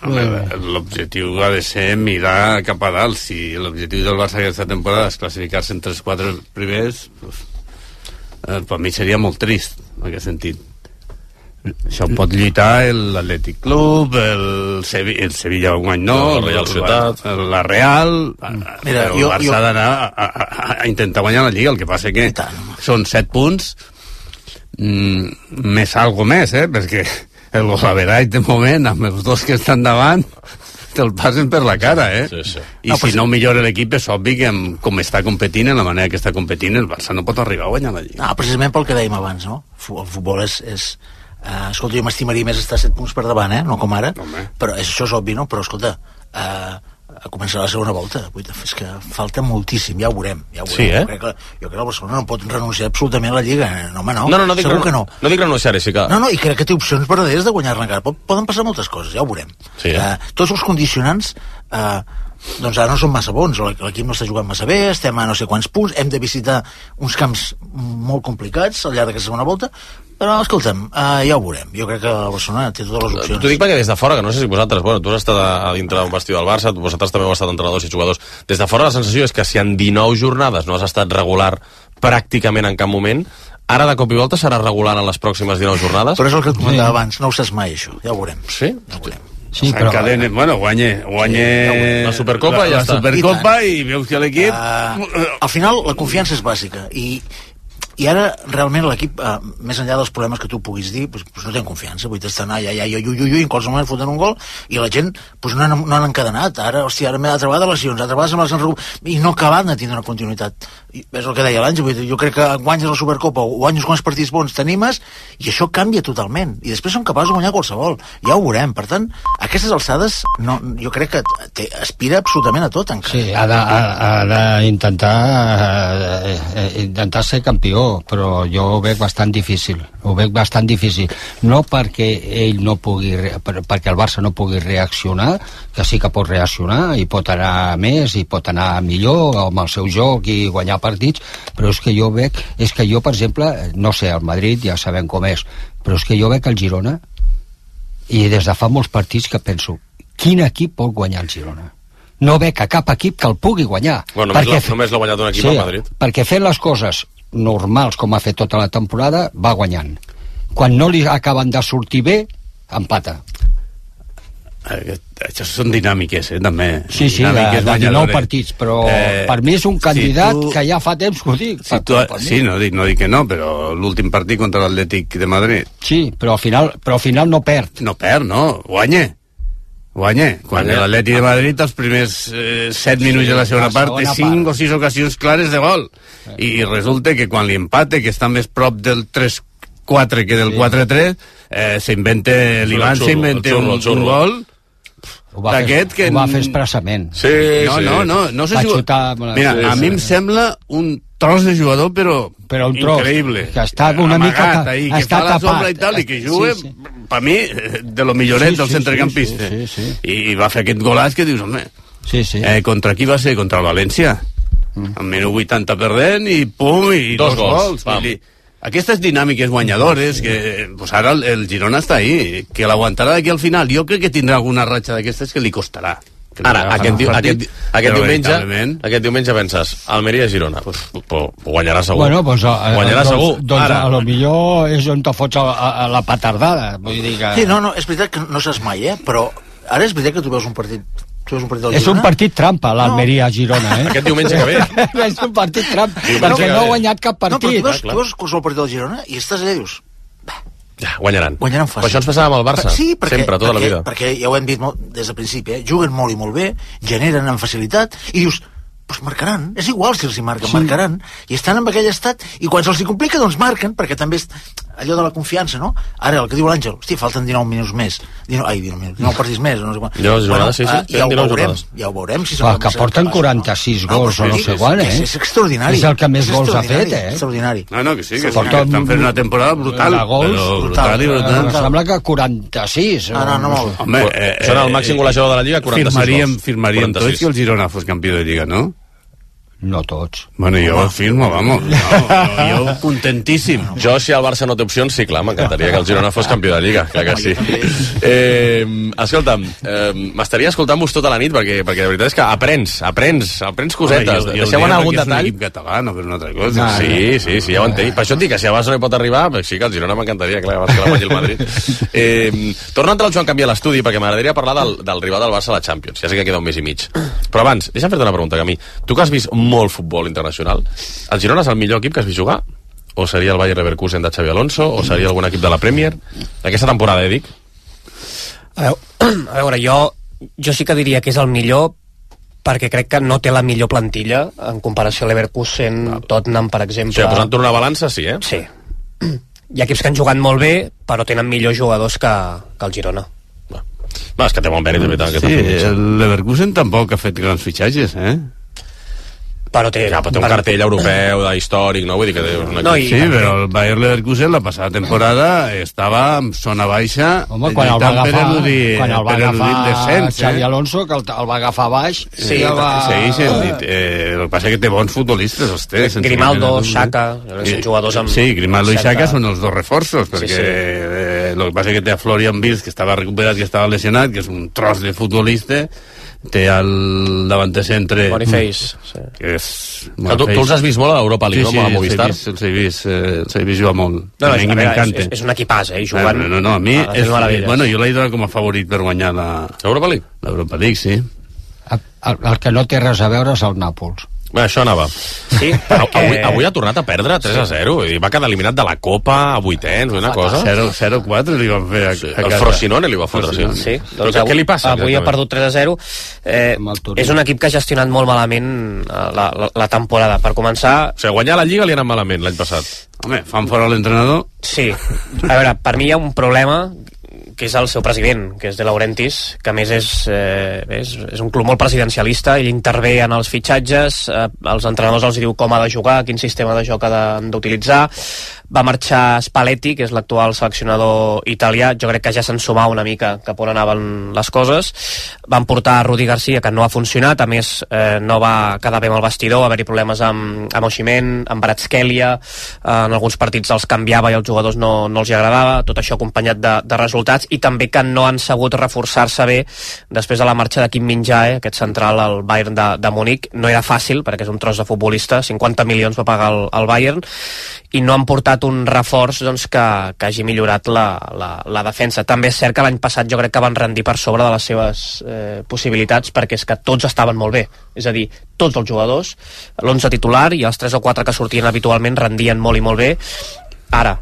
L'objectiu ha de ser mirar cap a dalt. Si l'objectiu del Barça aquesta temporada és classificar-se entre els quatre primers... Pues, Eh, per mi seria molt trist en aquest sentit. Això pot lluitar l'Atlètic Club, el, Sevi el Sevilla un any no, la Real Societat, la Real. Mira, el Barça ha d'anar a, a, a intentar guanyar la Lliga. El que passa que són set punts mm, més algo més, eh? Perquè el golaveratge de moment amb els dos que estan davant te'l passen per la cara, eh? Sí, sí. I no, si no millora l'equip, és obvi que amb, com està competint, en la manera que està competint, el Barça no pot arribar a guanyar la Lliga. No, precisament pel que dèiem abans, no? El futbol és... és uh, escolta, jo m'estimaria més estar set punts per davant, eh? No com ara, no, però és, això és obvi, no? Però, escolta, uh, a començar la segona volta, és que falta moltíssim, ja ho veurem, ja ho veurem. Sí, eh? Jo crec que, jo crec que el Barcelona no pot renunciar absolutament a la Lliga, no, home, no, no, no, no dic segur que no. No dic renunciar-hi, sí que... No, no, i crec que té opcions verdaderes de guanyar-la encara. Poden passar moltes coses, ja ho veurem. Sí, eh? uh, tots els condicionants uh, doncs ara no són massa bons, l'equip no està jugant massa bé, estem a no sé quants punts, hem de visitar uns camps molt complicats al llarg d'aquesta segona volta, Però, escolta'm, uh, ja ho veurem. Jo crec que el Barcelona té totes les opcions. T'ho dic perquè des de fora, que no sé si vosaltres, bueno, tu has estat a, a dintre d'un vestidor del Barça, vosaltres també heu estat entrenadors i jugadors. Des de fora la sensació és que si en dinou jornades no has estat regular pràcticament en cap moment, ara de cop i volta serà regular en les pròximes dinou jornades? Però és el que et comentava abans, no ho saps mai, això. Ja ho veurem. Sí? Ja ho veurem. Sí, però... Encadene, bueno, guanye, guanye la Supercopa la, i ja la està. Supercopa i, i veus que l'equip... Uh, al final, la confiança és bàsica. I I ara, realment, l'equip, eh, més enllà dels problemes que tu puguis dir, pues, pues no tenen confiança. Vull dir, estan allà, allà, allà, ui, ui, ui, en qualsevol moment foten un gol, i la gent pues, no, han, no han encadenat. Ara, hòstia, ara m'he de trobar de lesions, altra vegada se me les han recuperat, i no acaben de tindre una continuïtat. I és el que deia l'Àngel, jo crec que guanyes la Supercopa o guanyes quants partits bons t'animes, i això canvia totalment. I després són capaços de guanyar qualsevol. Ja ho veurem. Per tant, a aquestes alçades, no, jo crec que té, aspira absolutament a tot, encara. Sí, ha d'intentar eh, eh, intentar ser campió, però jo ho veig bastant difícil, ho veig bastant difícil, no perquè ell no pugui, perquè el Barça no pugui reaccionar, que sí que pot reaccionar i pot anar més i pot anar millor amb el seu joc i guanyar partits, però és que jo veig, és que jo per exemple, no sé, el Madrid ja sabem com és, però és que jo veig el Girona i des de fa molts partits que penso, quin equip pot guanyar el Girona? No veig a cap equip que el pugui guanyar. Bueno, només, perquè, només l'ha guanyat un equip sí, al Madrid. Perquè fent les coses normals com ha fet tota la temporada va guanyant. Quan no li acaben de sortir bé, empata. Això són dinàmiques, eh, també. Sí, sí, de, de dinou partits, però eh, per mi és un candidat si tu, que ja fa temps que ho dic. Si tu, sí, no dic, no dic que no, però l'últim partit contra l'Atlètic de Madrid... Sí, però al final, però al final no perd. No perd, no, guanya. Guanya. Quan l'Atlètic de Madrid, els primers eh, set minuts sí, de la segona part, té cinc part. o sis ocasions clares de gol. Sí. I, I resulta que quan li empate, que està més prop del tres quatre que del sí. quatre tres, eh, s'inventa, l'Ivan s'inventa un, un gol d'aquest que... Ho va fer expressament. Sí, no, sí. no, no, no sé si... Xutar... Mira, sí, a sí. mi em sembla un tros de jugador, però, però un tros, increïble. Que està una amagat, mica... Ahí, que està fa la sombra i tal, i que juga, sí, sí. per mi, de lo milloret sí, del sí, centrecampista. Sí, sí, sí. I va fer aquest golaç que dius, home... Sí, sí. Eh, contra qui va ser? Contra el València. Mm. Al minut vuitanta perdent i pum, i dos, dos gols. gols. I, aquestes dinàmiques guanyadores, que pues ara el, el Girona està ahí, que l'aguantarà d'aquí al final. Jo crec que tindrà alguna ratxa d'aquestes que li costarà. Ara, aquest, diu, aquest, aquest, diumenge, aquest diumenge penses, Almeria-Girona, pues, pues, guanyarà segur. Bueno, pues, a, guanyarà doncs, segur. Doncs Ara. a lo millor és on te fots a, a, a la petardada. Vull dir que... Sí, no, no, és veritat que no saps mai, eh? Però ara és veritat que tu veus un partit... Tu veus un partit del és Girona? un partit trampa, l'Almeria-Girona, eh? Aquest diumenge que ve. És un partit trampa, perquè no ha guanyat cap partit. No, però tu veus, tu veus qualsevol partit del Girona i estàs allà i dius... Ja, guanyaran. Guanyaran fàcil. Però això ens passava amb el Barça, sí, perquè, sempre, tota perquè, la vida. Perquè ja ho hem dit molt, des del principi, eh? Juguen molt i molt bé, generen amb facilitat, i dius, doncs marcaran, és igual si els hi marquen, sí. marcaran, i estan en aquell estat, i quan se'ls hi complica, doncs marquen, perquè també és allò de la confiança, no? Ara, el que diu l'Àngel, hosti, falten dinou minuts més, dinou, ai, dinou minuts, dinou partits més, no sé quan. Jo, bueno, sí, sí, ja, ho veurem, ja ho veurem, si ah, que porten quaranta-sis gols o no sé quan, eh? És extraordinari. És el que més gols ha fet, eh? Extraordinari. No, no, que sí, que estan fent una temporada brutal. Gols, brutal i brutal. Em sembla que quaranta-sis. Ah, no, no, molt. Home, són el màxim golejador de la Lliga, quaranta-sis gols. Firmaríem tots que el Girona fos campió de Lliga, no? No tots. Bueno, jo ho firmo, vamos. No, no, jo contentíssim. Jo, si el Barça no té opcions, sí, clar, m'encantaria que el Girona fos campió de Lliga, clar que sí. Eh, escolta'm, eh, m'estaria escoltant-vos tota la nit, perquè, perquè la veritat és que aprens, aprens, aprens cosetes. Home, jo, jo deixeu anar algun detall. És un equip català, no per una altra cosa. No, sí, sí, sí, ja ho entenc. Per això et dic que si el Barça no hi pot arribar, sí que el Girona m'encantaria, clar, abans que la guanyi el Madrid. Eh, torna a entrar el Joan Canvià a l'estudi, perquè m'agradaria parlar del, del rival del Barça a la Champions. Ja sé que queda un mes i mig. Però abans, deixa'm fer-te una pregunta, Camí. Tu que has vist molt futbol internacional, el Girona és el millor equip que has vist jugar? O seria el Bayer Leverkusen de Xabi Alonso? O seria algun equip de la Premier? Aquesta temporada, eh, dic? A veure, a veure jo, jo sí que diria que és el millor perquè crec que no té la millor plantilla en comparació a Leverkusen, ah. Tottenham, per exemple. O sigui, posant-ho una balança, sí, eh? Sí. Hi ha equips que han jugat molt bé, però tenen millors jugadors que, que el Girona. Va. Va, és que té molt mèrit, de veritat. Sí, el Leverkusen tampoc ha fet grans fitxatges, eh? però té, ja, però té un cartell europeu de històric, no? Vull dir que té un No, i- Sí, però el Bayer Leverkusen la passada temporada estava en zona baixa, Home, quan el va lluitant per agafar, eludir- quan el va per eludir el agafar descens, Xavi eh? Alonso, que el, el va agafar baix, Sí, i el va... sí, sí, eh, el que passa és que té bons futbolistes, els té. sense Grimaldo, cap mena de Xhaka, dubte. són jugadors amb Sí, Grimaldo i certa- Xhaka són els dos reforços, perquè Sí, sí. eh, el que passa és que té a Florian Wirtz, que estava recuperat, que estava lesionat, que és un tros de futbolista, té el davanter centre... Boniface, sí. que és... Que tu, tu els has vist molt a l'Europa League, Sí, no? sí, A Movistar. els he vist, els he vist, eh, els he vist jugar molt. No, no, A és, mi a veure, m'encanta. és, és un equipàs, eh? I jugant... No, no, no, a mi a les és, meravelles. bueno, jo l'he donat com a favorit per guanyar la Europa League? l'Europa League, sí. El, el que no té res a veure és el Nàpols. Bé, això anava. Sí, Però perquè... avui, avui ha tornat a perdre tres a zero i va quedar eliminat de la Copa a vuitens, una cosa. zero quatre li van fer a, Sí, a el casa. Frosinone li va fotre, sí. Sí, Però doncs què, avui, què li passa? avui ha exactament? perdut tres a zero. Eh, Amb el Turí. és un equip que ha gestionat molt malament eh, la, la, la temporada. Per començar, O sigui, guanyar la Lliga li ha anat malament l'any passat. Home, fan fora l'entrenador. sí. A veure, per mi hi ha un problema que és el seu president, que és De Laurentiis, que a més és, eh, és, és un club molt presidencialista, ell intervé en els fitxatges, eh, els entrenadors els diu com ha de jugar, quin sistema de joc han d'utilitzar. Va marxar Spalletti, que és l'actual seleccionador italià, jo crec que ja se'n sumava una mica cap on anaven les coses. Van portar Rudi Garcia, que no ha funcionat, a més eh, no va quedar bé amb el vestidor, va haver-hi problemes amb, amb Osimhen, amb Kvaratskhelia, eh, en alguns partits els canviava i als jugadors no, no els hi agradava, tot això acompanyat de, de resultats, i també que no han sabut reforçar-se bé després de la marxa de Kim Min-jae, aquest central al Bayern de, de Múnich. No era fàcil, perquè és un tros de futbolista, cinquanta milions va pagar el, el Bayern, i no han portat un reforç doncs, que, que hagi millorat la, la, la defensa. També és cert que l'any passat jo crec que van rendir per sobre de les seves eh, possibilitats, perquè és que tots estaven molt bé, és a dir, tots els jugadors, l'onze titular i els tres o quatre que sortien habitualment rendien molt i molt bé. Ara,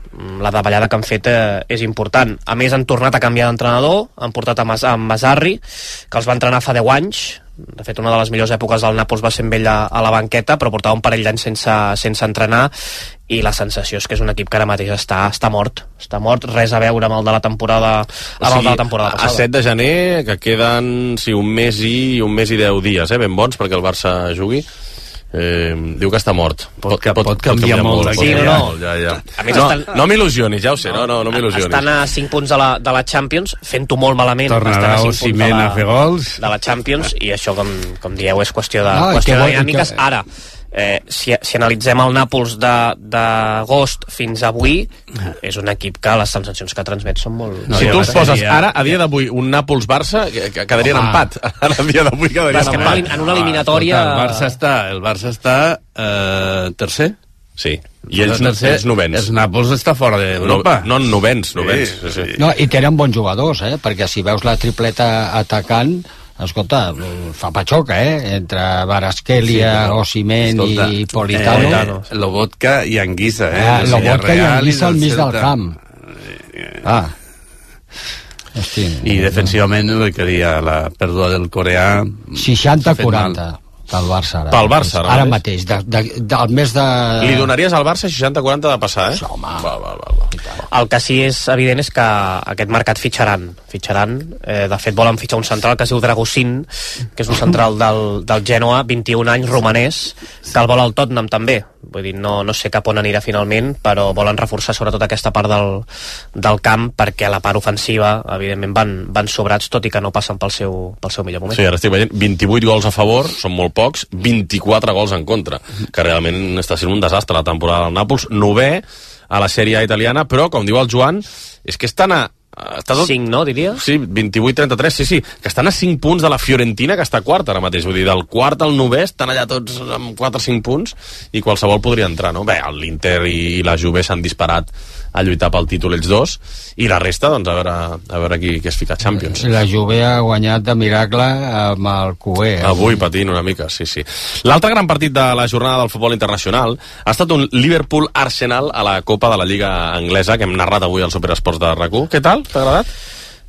la davallada que han fet eh, és important. A més, han tornat a canviar d'entrenador, han portat a, Mas a Masarri, que els va entrenar fa deu anys. De fet, una de les millors èpoques del Nàpols va ser amb ell a, a la banqueta, però portava un parell d'anys sense, sense entrenar, i la sensació és que és un equip que ara mateix està, està mort. Està mort, res a veure amb el de la temporada, amb el de la temporada passada. A set de gener, que queden sí, un mes i un mes i deu dies, eh, ben bons perquè el Barça jugui. Eh, diu que està mort. Pot- pot canviar molt, pot sí, canviar no, no. molt, ja, ja. A més, no, estan- no m'il·lusionis, ja ho sé, no, no, no m'il·lusionis. Estan a cinc punts de la, de la Champions, fent-ho molt malament. Tornarà estan a cinc punts de Osimhen la- a fer gols. de la Champions, i això, com, com dieu, és qüestió de, No, i qüestió que de vol- i dinàmiques. que- Ara, eh, si, si analitzem el Nàpols de- d'agost fins avui, és un equip que les sensacions que transmet són molt... No, Si ja tu va els ser, poses ja- ara, a dia d'avui, un Nàpols-Barça, que, que quedarien Ah. empat. Ara, a dia d'avui, quedarien És que en una, empat. en una eliminatòria... Escolta, el Barça està, el Barça està eh, tercer. Sí, i ells, Està tercer. ells novens. El Nàpols està fora d'Europa. No, no, novens, novens. Sí, sí. No, i tenen bons jugadors, eh? Perquè si veus la tripleta atacant, escolta, fa patxoca, eh? Entre Kvaratskhelia, Sí, però, Osimhen escolta, i Politano. Eh, Lobotka i Anguissa, eh? Ah, del Lobotka i Villarreal Anguissa al del mig del Celta. camp. Ah. Hosti, I defensivament el que deia la pèrdua del coreà seixanta s'ha fet quaranta pel Barça ara. Pel Barça, ara ara mateix. mateix. De, de, del mes de... Li donaries al Barça seixanta quaranta de passar, eh? Home. Va, va, va, va. El que sí és evident és que aquest mercat fitxaran. fitxaran. Eh, de fet, volen fitxar un central que es diu Dragossin, que és un central del, del Genoa, vint-i-un anys, romanès, que el vol al Tottenham també. Vull dir, no, no sé cap on anirà finalment, però volen reforçar sobretot aquesta part del, del camp, perquè a la part ofensiva, evidentment, van, van sobrats, tot i que no passen pel seu, pel seu millor moment. Sí, ara estic veient vint-i-vuit gols a favor, són molt pocs, vint-i-quatre gols en contra, que realment està sent un desastre la temporada del Nàpols, novè a la sèrie italiana, però, com diu el Joan, és que estan a... Està tot... cinc, no, diries? Sí, vint-i-vuit trenta-tres, sí, sí, que estan a cinc punts de la Fiorentina, que està quarta ara mateix, vull dir, del quart al novè estan allà tots amb quatre o cinc punts i qualsevol podria entrar, no? Bé, l'Inter i la Juve s'han disparat a lluitar pel títol ells dos, i la resta, doncs, a veure, a veure qui, qui es fica a Champions. La Juve ha guanyat de miracle amb el Cué. Eh? Avui patint una mica, sí, sí. L'altre gran partit de la jornada del futbol internacional ha estat un Liverpool-Arsenal a la Copa de la Lliga Anglesa, que hem narrat avui al Superesports de RAC u. Què tal? T'ha agradat?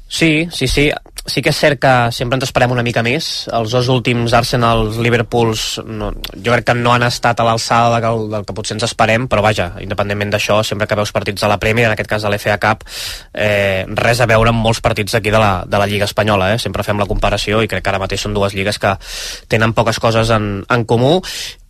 Sí, sí, sí. Sí que és cert que sempre ens esperem una mica més. Els dos últims Arsenals, Liverpools, no, jo crec que no han estat a l'alçada del, del que potser ens esperem, però vaja, independentment d'això, sempre que veus partits de la Premier, en aquest cas de l'F A Cup, eh, res a veure amb molts partits aquí de la, de la Lliga Espanyola, eh? Sempre fem la comparació i crec que ara mateix són dues lligues que tenen poques coses en, en comú.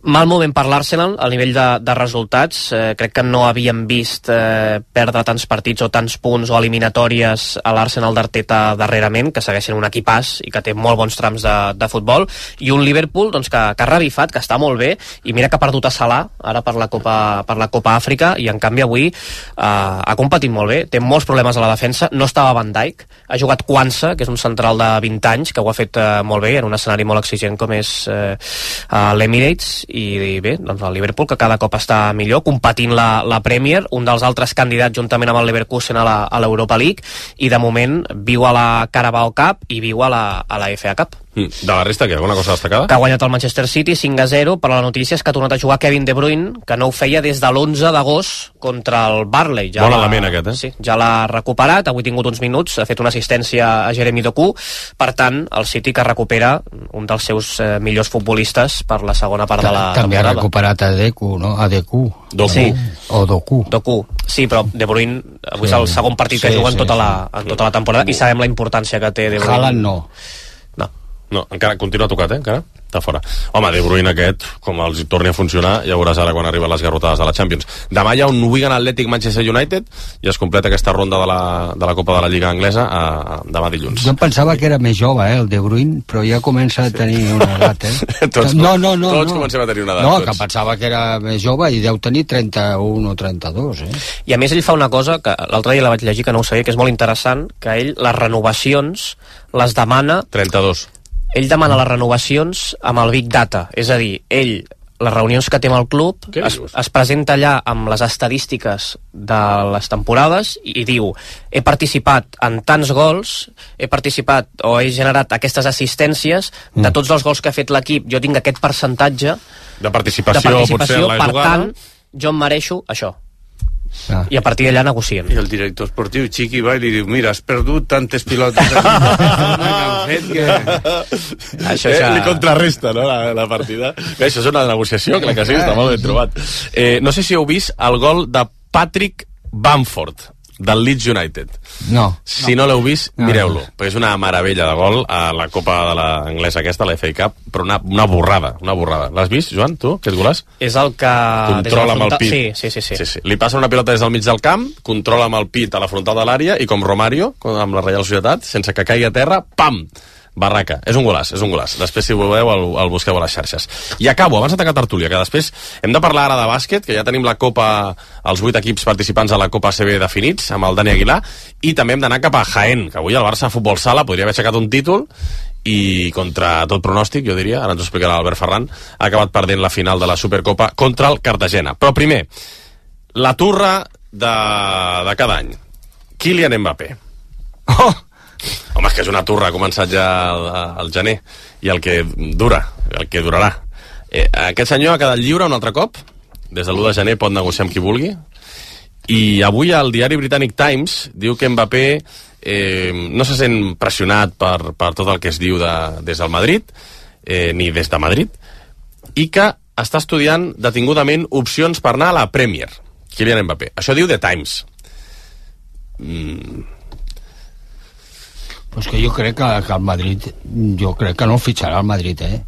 Mal moment per l'Arsenal al nivell de, de resultats. Eh, crec que no havíem vist eh, perdre tants partits o tants punts o eliminatòries a l'Arsenal d'Arteta darrerament, que segueixen un equipàs i que té molt bons trams de, de futbol, i un Liverpool doncs, que, que ha revifat, que està molt bé, i mira que ha perdut a Salah ara per la Copa, per la Copa Àfrica, i en canvi avui eh, ha competit molt bé, té molts problemes a la defensa, no estava Van Dijk, ha jugat Kwanza, que és un central de vint anys, que ho ha fet eh, molt bé en un escenari molt exigent com és eh, l'Emirates, i bé, doncs el Liverpool, que cada cop està millor, competint la, la Premier, un dels altres candidats juntament amb el Leverkusen a la, a l'Europa League, i de moment viu a la Carabao Cup i viu a la, a la F A Cup. De la resta, què? Alguna cosa destacada? Que ha guanyat el Manchester City cinc a zero, però la notícia és que ha tornat a jugar Kevin De Bruyne, que no ho feia des de l'onze d'agost contra el Barley. Ja bon element aquest, eh? Sí, ja l'ha recuperat, avui ha tingut uns minuts, ha fet una assistència a Jeremy Doku, per tant, el City que recupera un dels seus eh, millors futbolistes per la segona part de la També temporada. ha recuperat a Deku, no? A Deku. Doku. Sí. O Doku. Doku. Sí, però De Bruyne avui Sí. és el segon partit que Sí, juga en sí, tota, sí. la, en tota la temporada, i sabem la importància que té De Bruyne. Haaland no. No. No, encara continua tocat, eh? Encara està fora. Home, De Bruyne aquest, com els hi torni a funcionar, ja veuràs ara quan arriben les garrotades de la Champions. Demà hi ha un Wigan Athletic Manchester United i es completa aquesta ronda de la, de la Copa de la Lliga Anglesa a, a, demà dilluns. Jo em pensava que era més jove, eh, el De Bruyne, però ja comença a tenir una edat, eh? Tots- no, no, no, tots no. comencem a tenir una edat, No, tots. que pensava que era més jove i deu tenir trenta-un o trenta-dos, eh? I a més ell fa una cosa que l'altre dia la vaig llegir, que no ho sabia, que és molt interessant, que ell les renovacions les demana, trenta-dos. ell demana les renovacions amb el Big Data, és a dir, ell les reunions que té amb el club Què es, dius? es presenta allà amb les estadístiques de les temporades i diu, he participat en tants gols, he participat o he generat aquestes assistències, de tots els gols que ha fet l'equip jo tinc aquest percentatge De participació, de participació, potser en la per jugada. tant jo em mereixo això, Ah. i a partir d'allà negocien. I el director esportiu, Chiqui, va i li diu, mira, has perdut tantes pilotes que han fet que... Això Eh, ja... li contrarresta, no?, la, la partida. Bé, això és una negociació, clar que sí, està molt ben trobat. Eh, no sé si heu vist el gol de Patrick Bamford, del Leeds United. No. Si no, no l'heu vist, No, mireu-lo, no. perquè és una meravella de gol a la Copa de l'Anglesa aquesta, la F A Cup, però una, una borrada, una borrada. L'has vist, Joan, tu, aquest golàs? És el que... Controla amb el frontal- pit. Sí, sí, sí, sí. sí, sí. Li passa una pilota des del mig del camp, controla amb el pit a la frontal de l'àrea i com Romario, com amb la Reial Societat, sense que caigui a terra, pam! Barraca. És un golàs, és un golàs. Després, si ho veureu, el, el busqueu a les xarxes. I acabo, abans de tancar tertúlia, que després hem de parlar ara de bàsquet, que ja tenim la Copa, els vuit equips participants a la Copa A C B definits, amb el Dani Aguilar, i també hem d'anar cap a Jaén, que avui el Barça Futbol Sala podria haver aixecat un títol i contra tot pronòstic, jo diria, ara ens ho explicarà l'Albert Ferran, ha acabat perdent la final de la Supercopa contra el Cartagena. Però primer, la turra de, de cada any. Kylian Mbappé. Oh! Home, és que és una turra, ha començat ja al, al gener, i el que dura, el que durarà. Eh, aquest senyor ha quedat lliure un altre cop, des de l'u de gener pot negociar amb qui vulgui, i avui el diari britànic Times diu que Mbappé eh, no se sent pressionat per, per tot el que es diu de, des del Madrid, eh, ni des de Madrid, i que està estudiant detingudament opcions per anar a la Premier, Kylian Mbappé. Això diu The Times. Mm... Pues que jo crec que, que el Madrid, jo crec que no el fitxarà el Madrid, eh?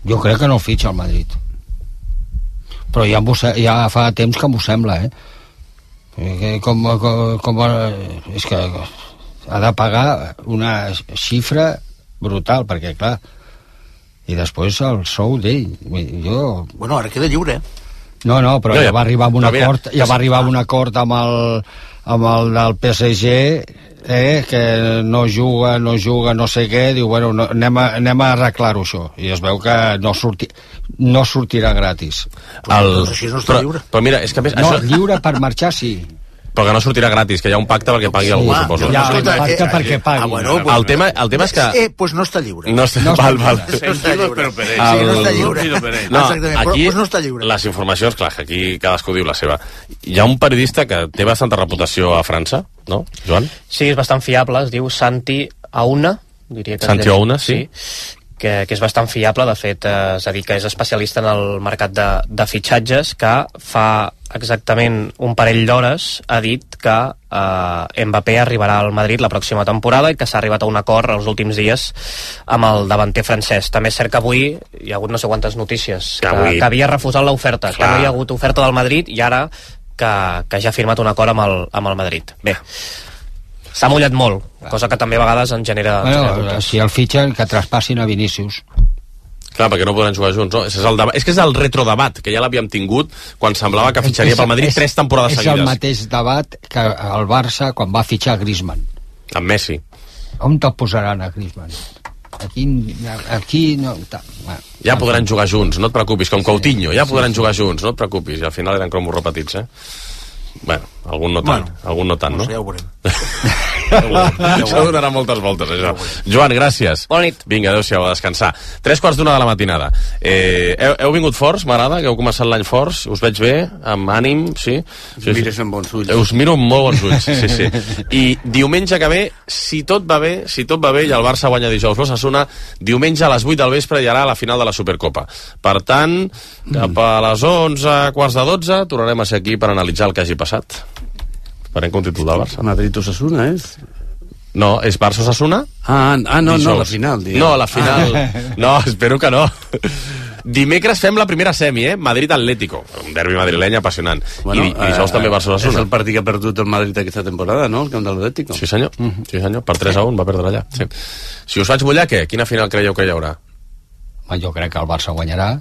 Jo crec que no el fitxa el Madrid. Però ja, se, ja fa temps que m'ho sembla, eh? Que com, com, com, és que ha de pagar una xifra brutal, perquè, clar, i després el sou d'ell. Jo... Bueno, ara queda lliure, eh? No, no, però No, ja- ja va arribar a un però mira, acord, ja va arribar a un acord amb el, amb el del P S G, eh, que no juga, no juga, no sé què, diu, bueno, no, anem, a, anem a arreglar-ho això, i es veu que no, surti, no sortirà gratis. El... Doncs així no està però, lliure. però mira, és que a més, No, això... lliure per marxar sí. Però que no sortirà gratis, que hi ha un pacte perquè pagui Sí, algú, home, suposo. ja, Escolta, el pacte eh, perquè pagui. ah, bueno, El tema, el tema és que... Eh, doncs no està lliure. No, està, No està val, val. lliure. No està lliure. Però per ell. Sí, no El- està lliure. Sentido per ell. No, Exactament, però, aquí doncs no està lliure. les informacions, clar, que aquí cadascú diu la seva. Hi ha un periodista que té bastanta reputació a França, no, Joan? Sí, és bastant fiable, es diu Santi Auna, diria que es Santi llegeix- Auna, sí. que, que és bastant fiable, de fet, eh, és a dir, que és especialista en el mercat de, de fitxatges, que fa exactament un parell d'hores, ha dit que eh, Mbappé arribarà al Madrid la pròxima temporada i que s'ha arribat a un acord els últims dies amb el davanter francès. També és cert que avui hi ha hagut no sé quantes notícies que, que, que havia refusat l'oferta, que no hi ha hagut oferta del Madrid i ara que, que ja ha firmat un acord amb el, amb el Madrid. Bé, s'ha mullat molt, cosa que també a vegades en genera... Bueno, genera si el fitxen, que traspassin a Vinícius. Clar, perquè no podran jugar junts, no? És, el debat, és que és el retrodebat, que ja l'havíem tingut quan semblava que fitxaria pel Madrid és, tres temporades és seguides. És el mateix debat que el Barça quan va fitxar Griezmann. Amb Messi. On te'l posaran a Griezmann? Aquí, aquí no... Bueno, ja podran jugar junts, no et preocupis, com Coutinho, ja podran sí, sí. jugar junts, no et preocupis, i al final eren cromos repetits, eh? Bueno, algun no tant, bueno, algun no tant, no? Ja ho veurem. Això donarà moltes voltes, això. Joan, gràcies. Bona nit. Vinga, adéu-siau, a descansar. Tres quarts d'una de la matinada. Eh, heu, heu vingut forts, m'agrada, que heu començat l'any forts. Us veig bé, amb ànim, sí? Us sí, mires amb bons ulls. Us miro amb molt bons ulls, sí, sí. I diumenge que ve, si tot va bé, si tot va bé, i el Barça guanya dijous l'Osasuna, diumenge a les vuit del vespre hi haurà la final de la Supercopa. Per tant, cap a les onze, quarts de dotze, tornarem a ser aquí per analitzar el que hagi passat. Farem com títol del Barça. Madrid-Osasuna, és? No, és Barça-Osasuna? Ah, ah no, dijous. No, la final. Diguem. No, la final... No, espero que no. Dimecres fem la primera semi, eh? Madrid-Atlético. Un derbi madrileny apassionant. Bueno, I, i dijous eh, també Barça-Osasuna. És el partit que ha perdut el Madrid aquesta temporada, no? El camp de l'Atlético. Sí, senyor. Uh -huh. Sí, senyor. Per tres a un va perdre allà. Sí. Si us faig mullar, què? Quina final creieu que hi haurà? Jo crec que el Barça guanyarà.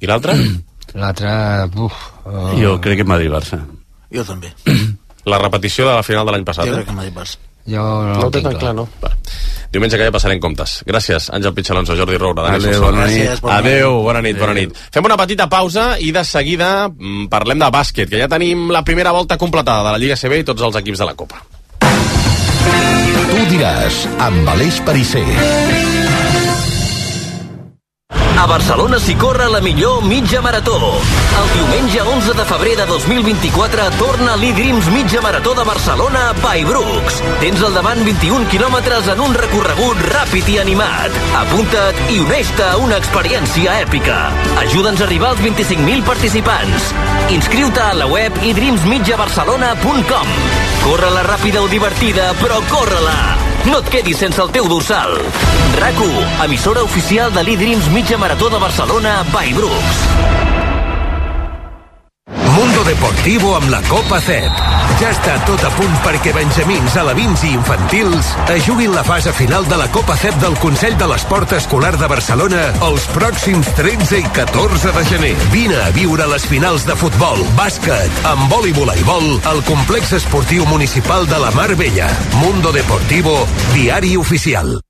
I l'altre? L'altre... Uh... Jo crec que Madrid-Barça. Jo també. La repetició de la final de l'any passat, jo eh? crec que Madrid-Barça. Jo no, no ho té tan clar, no? Va. Diumenge que ja passarem comptes. Gràcies, Àngel Pitxalonso, Jordi Roura, Dani Adéu, bona nit. Adéu, bona nit, bona nit. Fem una petita pausa i de seguida parlem de bàsquet, que ja tenim la primera volta completada de la Lliga C B i tots els equips de la Copa. Tu diràs, amb Aleix Perisser. A Barcelona s'hi corre la millor mitja marató. El diumenge onze de febrer de dos mil vint-i-quatre torna l'E-Dreams Mitja Marató de Barcelona by Brooks. Tens al davant vint-i-un quilòmetres en un recorregut ràpid i animat. Apunta't i uneix-te a una experiència èpica. Ajuda'ns a arribar als vint-i-cinc mil participants. Inscriu-te a la web i dreams mitja barcelona punt com. Corre-la ràpida o divertida, però corre-la! No et quedis sense el teu dorsal. RAC u, emissora oficial de l'E-Dreams Mitja Marató de Barcelona by Brooks. Mundo Deportivo amb la Copa C E P. Ja està tot a punt perquè benjamins, alevins i infantils es juguin la fase final de la Copa C E P del Consell de l'Esport Escolar de Barcelona els pròxims tretze i catorze de gener. Vine a viure les finals de futbol, bàsquet, handbol i voleibol al complex esportiu municipal de la Mar Bella. Mundo Deportivo, diari oficial.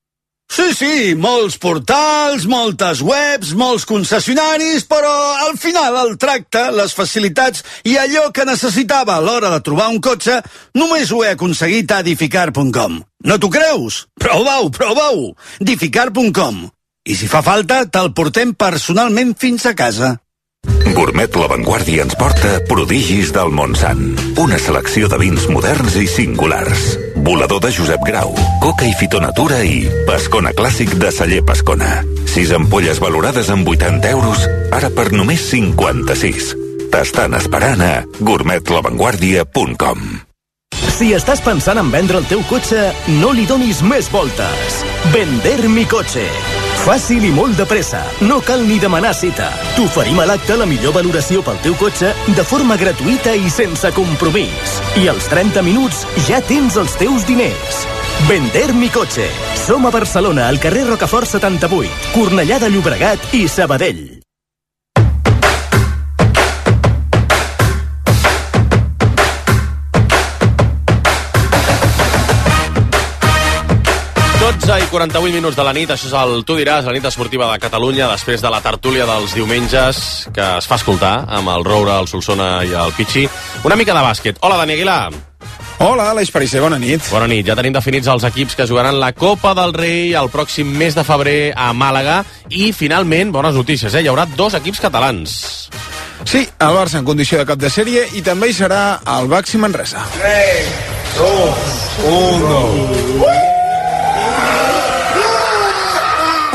Sí, sí, molts portals, moltes webs, molts concessionaris, però al final el tracte, les facilitats i allò que necessitava a l'hora de trobar un cotxe només ho he aconseguit a edificar punt com. No t'ho creus? Prova-ho, prova-ho! edificar punt com. I si fa falta, te'l portem personalment fins a casa. Gourmet La Vanguardia ens porta Prodigis del Montsant. Una selecció de vins moderns i singulars. Volador de Josep Grau, Coca i Fitonatura i Pescona Clàssic de Celler Pescona. Sis ampolles valorades amb vuitanta euros, ara per només cinquanta-sis. T'estan esperant a gourmet la vanguardia punt com. Si estàs pensant en vendre el teu cotxe, no li donis més voltes. Vender mi cotxe. Fàcil i molt de pressa. No cal ni demanar cita. T'oferim a l'acte la millor valoració pel teu cotxe de forma gratuïta i sense compromís. I als trenta minuts ja tens els teus diners. Vender mi cotxe. Som a Barcelona, al carrer Rocafort setanta-vuit, Cornellà de Llobregat i Sabadell. dotze i quaranta-vuit minuts de la nit, això és el Tu diràs, la nit esportiva de Catalunya, després de la tertúlia dels diumenges, que es fa escoltar amb el Roura, el Solsona i el Pichi. Una mica de bàsquet. Hola, Dani Aguilar. Hola, Aleix Perisser, bona nit. Bona nit, ja tenim definits els equips que jugaran la Copa del Rei el pròxim mes de febrer a Màlaga i, finalment, bones notícies, eh? Hi haurà dos equips catalans. Sí, el Barça en condició de cap de sèrie i també hi serà el Baxi Manresa. tres, dos, uno...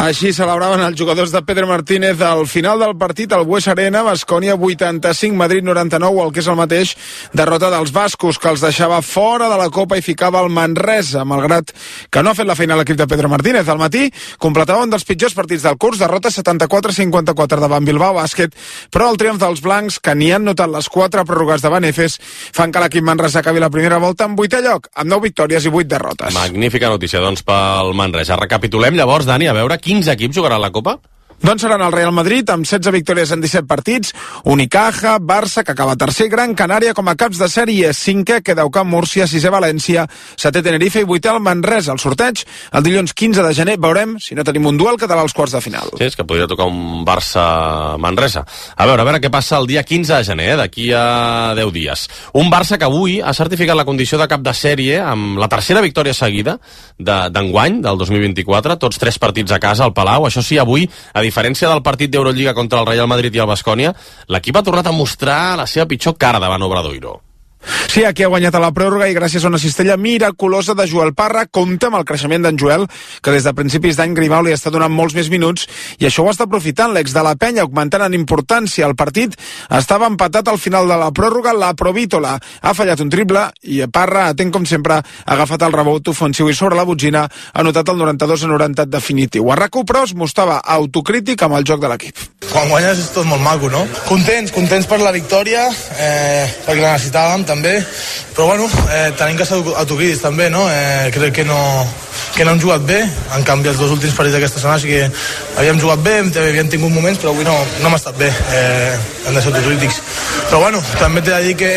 Així celebraven els jugadors de Pedro Martínez al final del partit al Bues Arena. Baskonia vuitanta-cinc, Madrid noranta-nou, el que és el mateix, derrota dels bascos, que els deixava fora de la Copa i ficava el Manresa, malgrat que no ha fet la feina l'equip de Pedro Martínez. Al matí completava un dels pitjors partits del curs, derrota setanta-quatre a cinquanta-quatre davant Bilbao Bàsquet, però el triomf dels blancs, que n'hi han notat les quatre pròrrogues davant Efes, fan que l'equip Manresa acabi la primera volta en vuitè lloc, amb nou victòries i vuit derrotes. Magnífica notícia, doncs, pel Manresa. Recapitulem llavors, Dani, a veure quins equips jugaran la Copa? Doncs seran el Real Madrid, amb setze victòries en disset partits, Unicaja, Barça, que acaba tercer, Gran Canària com a caps de sèrie, cinquè, queda Camp Múrcia, sisè València, setè Tenerife i vuitè el Manresa. El sorteig, el dilluns quinze de gener, veurem si no tenim un duel català als quarts de final. Sí, és que podria tocar un Barça-Manresa. A veure, a veure què passa el dia quinze de gener, eh, d'aquí a deu dies. Un Barça que avui ha certificat la condició de cap de sèrie amb la tercera victòria seguida d'enguany, de, del dos mil vint-i-quatre, tots tres partits a casa al Palau. Això sí, avui, a diferència del partit d'Eurolliga contra el Real Madrid i el Baskonia, l'equip ha tornat a mostrar la seva pitjor cara davant Obradoiro. Sí, aquí ha guanyat a la pròrroga i gràcies a una cistella miraculosa de Joel Parra. Compte amb el creixement d'en Joel, que des de principis d'any Grimau li està donant molts més minuts i això ho està aprofitant l'ex de la Penya, augmentant en importància. El partit estava empatat al final de la pròrroga. La Provítola ha fallat un triple i Parra, atent com sempre, ha agafat el rebot ofensiu i sobre la botzina ha anotat el noranta-dos a noranta definitiu. A RAC u, però, es mostrava autocrític amb el joc de l'equip. Quan guanyes és tot molt maco, no? Contents, contents per la victòria, eh, perquè la necessitàvem també, però bueno, eh, tenim que ser autocrítics també, no? Eh, crec que no, que no hem jugat bé, en canvi els dos últims partits d'aquesta setmana sí que havíem jugat bé, havíem tingut moments, però avui no, no hem estat bé, eh, hem de ser autocrítics. Però bueno, també t'he de dir que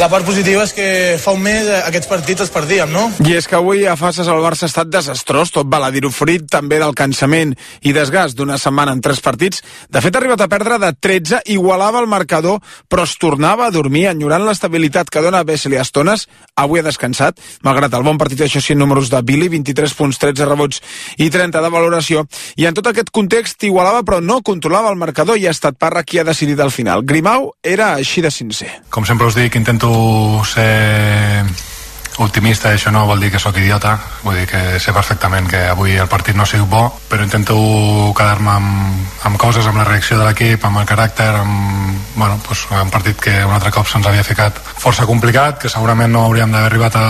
la part positiva és que fa un mes aquests partits els perdíem, no? I és que avui a Faces el Barça ha estat desastrós, tot val a dir-ho, fruit també del cansament i desgast d'una setmana en tres partits. De fet, ha arribat a perdre de tretze, igualava el marcador, però es tornava a dormir, enyorant l'estabilitat que dona Vesely a estones. Avui ha descansat, malgrat el bon partit, això sí, números de Billy, vint-i-tres punts, tretze rebots i trenta de valoració. I en tot aquest context igualava, però no controlava el marcador i ha estat Parra qui ha decidit al final. Grimau era així de sincer. Com sempre us dic, intento ser optimista, i això no vol dir que sóc idiota, vull dir que sé perfectament que avui el partit no ha sigut bo, però intento quedar-me amb, amb coses, amb la reacció de l'equip, amb el caràcter, amb bueno, pues, un partit que un altre cop se'ns havia ficat força complicat, que segurament no hauríem d'haver arribat a,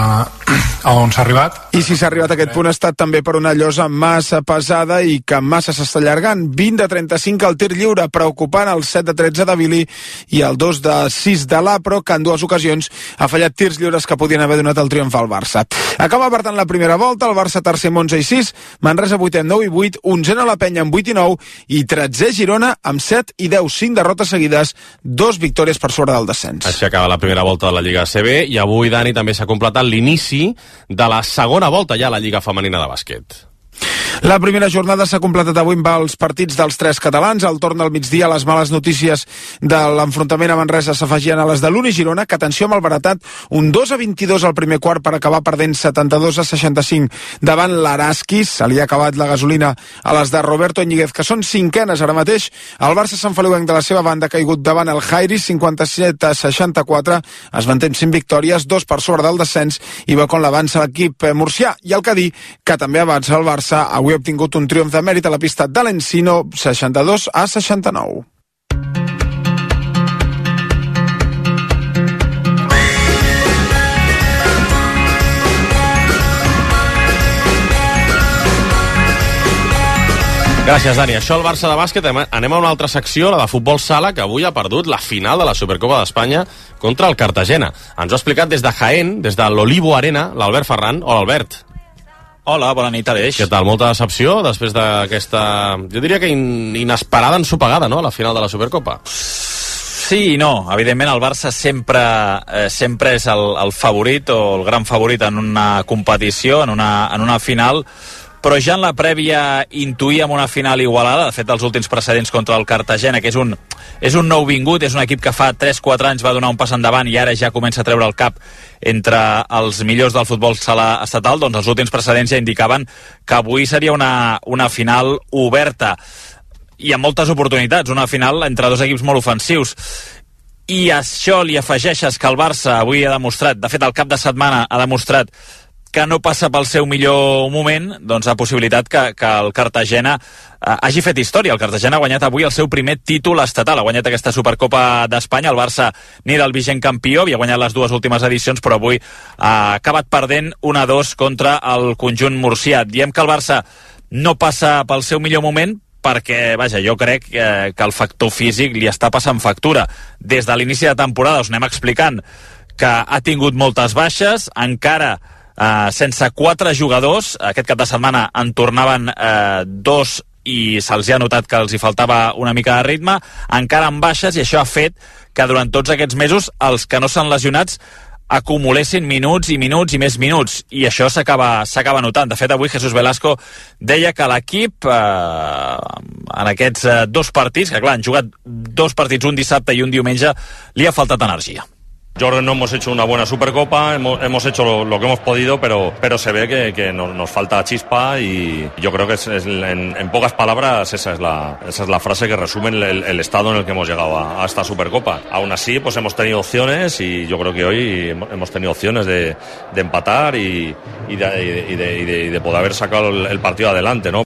a on s'ha arribat. I si s'ha arribat a aquest punt ha estat també per una llosa massa pesada i que massa s'està allargant. vint de trenta-cinc al tir lliure, preocupant el set de tretze de Billy i el dos de sis de l'Apro, que en dues ocasions ha fallat tirs lliures que podien haver donat el triomf al Barça. Acaba per tant la primera volta, el Barça tercer amb onze i sis, Manresa vuitè amb nou i vuit, onzena la Penya amb vuit i nou i tretzè Girona amb set i deu, cinc derrotes seguides, dos victòries per sobre del descens. Així acaba la primera volta de la Lliga A C B i avui, Dani, també s'ha completat l'inici de la segona volta ja a la Lliga Femenina de Bàsquet. La primera jornada s'ha completat avui amb els partits dels tres catalans. Al torn del migdia, les males notícies de l'enfrontament a Manresa s'afegien a les de l'Uni Girona, que, atenció amb el baratat, un dos a vint-i-dos al primer quart per acabar perdent setanta-dos a seixanta-cinc davant l'Araski. Se li ha acabat la gasolina a les de Roberto Ñíguez, que són cinquenes ara mateix. El Barça Sant Feliuenc de la seva banda ha caigut davant el Jairis, cinquanta-set a seixanta-quatre. Es manté amb cinc victòries, dos per sobre del descens, i va com l'avança l'equip murcià. I el Cadí, que també avança el Barça, avui ha obtingut un triomf de mèrit a la pista de l'Encino, seixanta-dos a seixanta-nou. Gràcies, Dani. Això el Barça de bàsquet. Anem a una altra secció, la de futbol sala, que avui ha perdut la final de la Supercopa d'Espanya contra el Cartagena. Ens ho ha explicat des de Jaén, des de l'Olivo Arena, l'Albert Ferran. Hola, Albert. Hola, bona nit, Aleix. Què tal? Molta decepció després d'aquesta, jo diria que in, inesperada ensopegada, no?, a la final de la Supercopa. Sí i no. Evidentment el Barça sempre, eh, sempre és el, el favorit o el gran favorit en una competició, en una, en una final, però ja en la prèvia intuïem una final igualada. De fet, els últims precedents contra el Cartagena, que és un, és un nou vingut, és un equip que fa tres quatre anys va donar un pas endavant i ara ja comença a treure el cap entre els millors del futbol sala estatal, doncs els últims precedents ja indicaven que avui seria una, una final oberta i amb moltes oportunitats, una final entre dos equips molt ofensius. I a això li afegeixes que el Barça avui ha demostrat, de fet el cap de setmana ha demostrat que no passa pel seu millor moment, doncs ha possibilitat que, que el Cartagena eh, hagi fet història. El Cartagena ha guanyat avui el seu primer títol estatal, ha guanyat aquesta Supercopa d'Espanya. El Barça n'era el vigent campió, havia guanyat les dues últimes edicions, però avui ha acabat perdent un a dos contra el conjunt murcià. Diem que el Barça no passa pel seu millor moment, perquè, vaja, jo crec que, que el factor físic li està passant factura. Des de l'inici de temporada us anem explicant que ha tingut moltes baixes, encara eh, sense quatre jugadors. Aquest cap de setmana en tornaven eh, dos i se'ls ha notat que els hi faltava una mica de ritme, encara amb baixes, i això ha fet que durant tots aquests mesos els que no s'han lesionats acumulessin minuts i minuts i més minuts, i això s'acaba s'acaba notant. De fet, avui Jesús Velasco deia que l'equip eh, en aquests eh, dos partits, que clar, han jugat dos partits, un dissabte i un diumenge, li ha faltat energia. Yo creo que no hemos hecho una buena Supercopa, hemos, hemos hecho lo, lo que hemos podido, pero, pero se ve que, que nos, nos falta chispa, y yo creo que es, es, en, en pocas palabras esa es la, esa es la frase que resume el, el estado en el que hemos llegado a, a esta Supercopa. Aún así, pues hemos tenido opciones, y yo creo que hoy hemos tenido opciones de, de empatar y, y, de, y, de, y, de, y de poder haber sacado el, el partido adelante, ¿no?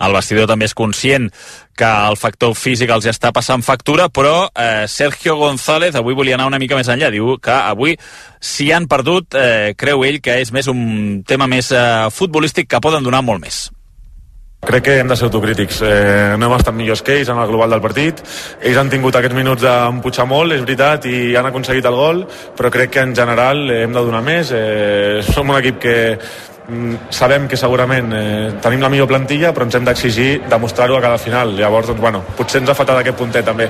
El vestidor també és conscient que el factor físic els està passant factura, però eh, Sergio González avui volia anar una mica més enllà. Diu que avui, si han perdut, eh, creu ell que és més un tema més eh, futbolístic, que poden donar molt més. Crec que hem de ser autocrítics. Eh, no hem estat millors que ells en el global del partit. Ells han tingut aquests minuts d'empujar molt, és veritat, i han aconseguit el gol, però crec que en general hem de donar més. Eh, som un equip que sabem que segurament eh, tenim la millor plantilla, però ens hem d'exigir demostrar-ho a cada final. Llavors, doncs, bueno, potser ens ha faltat aquest puntet també.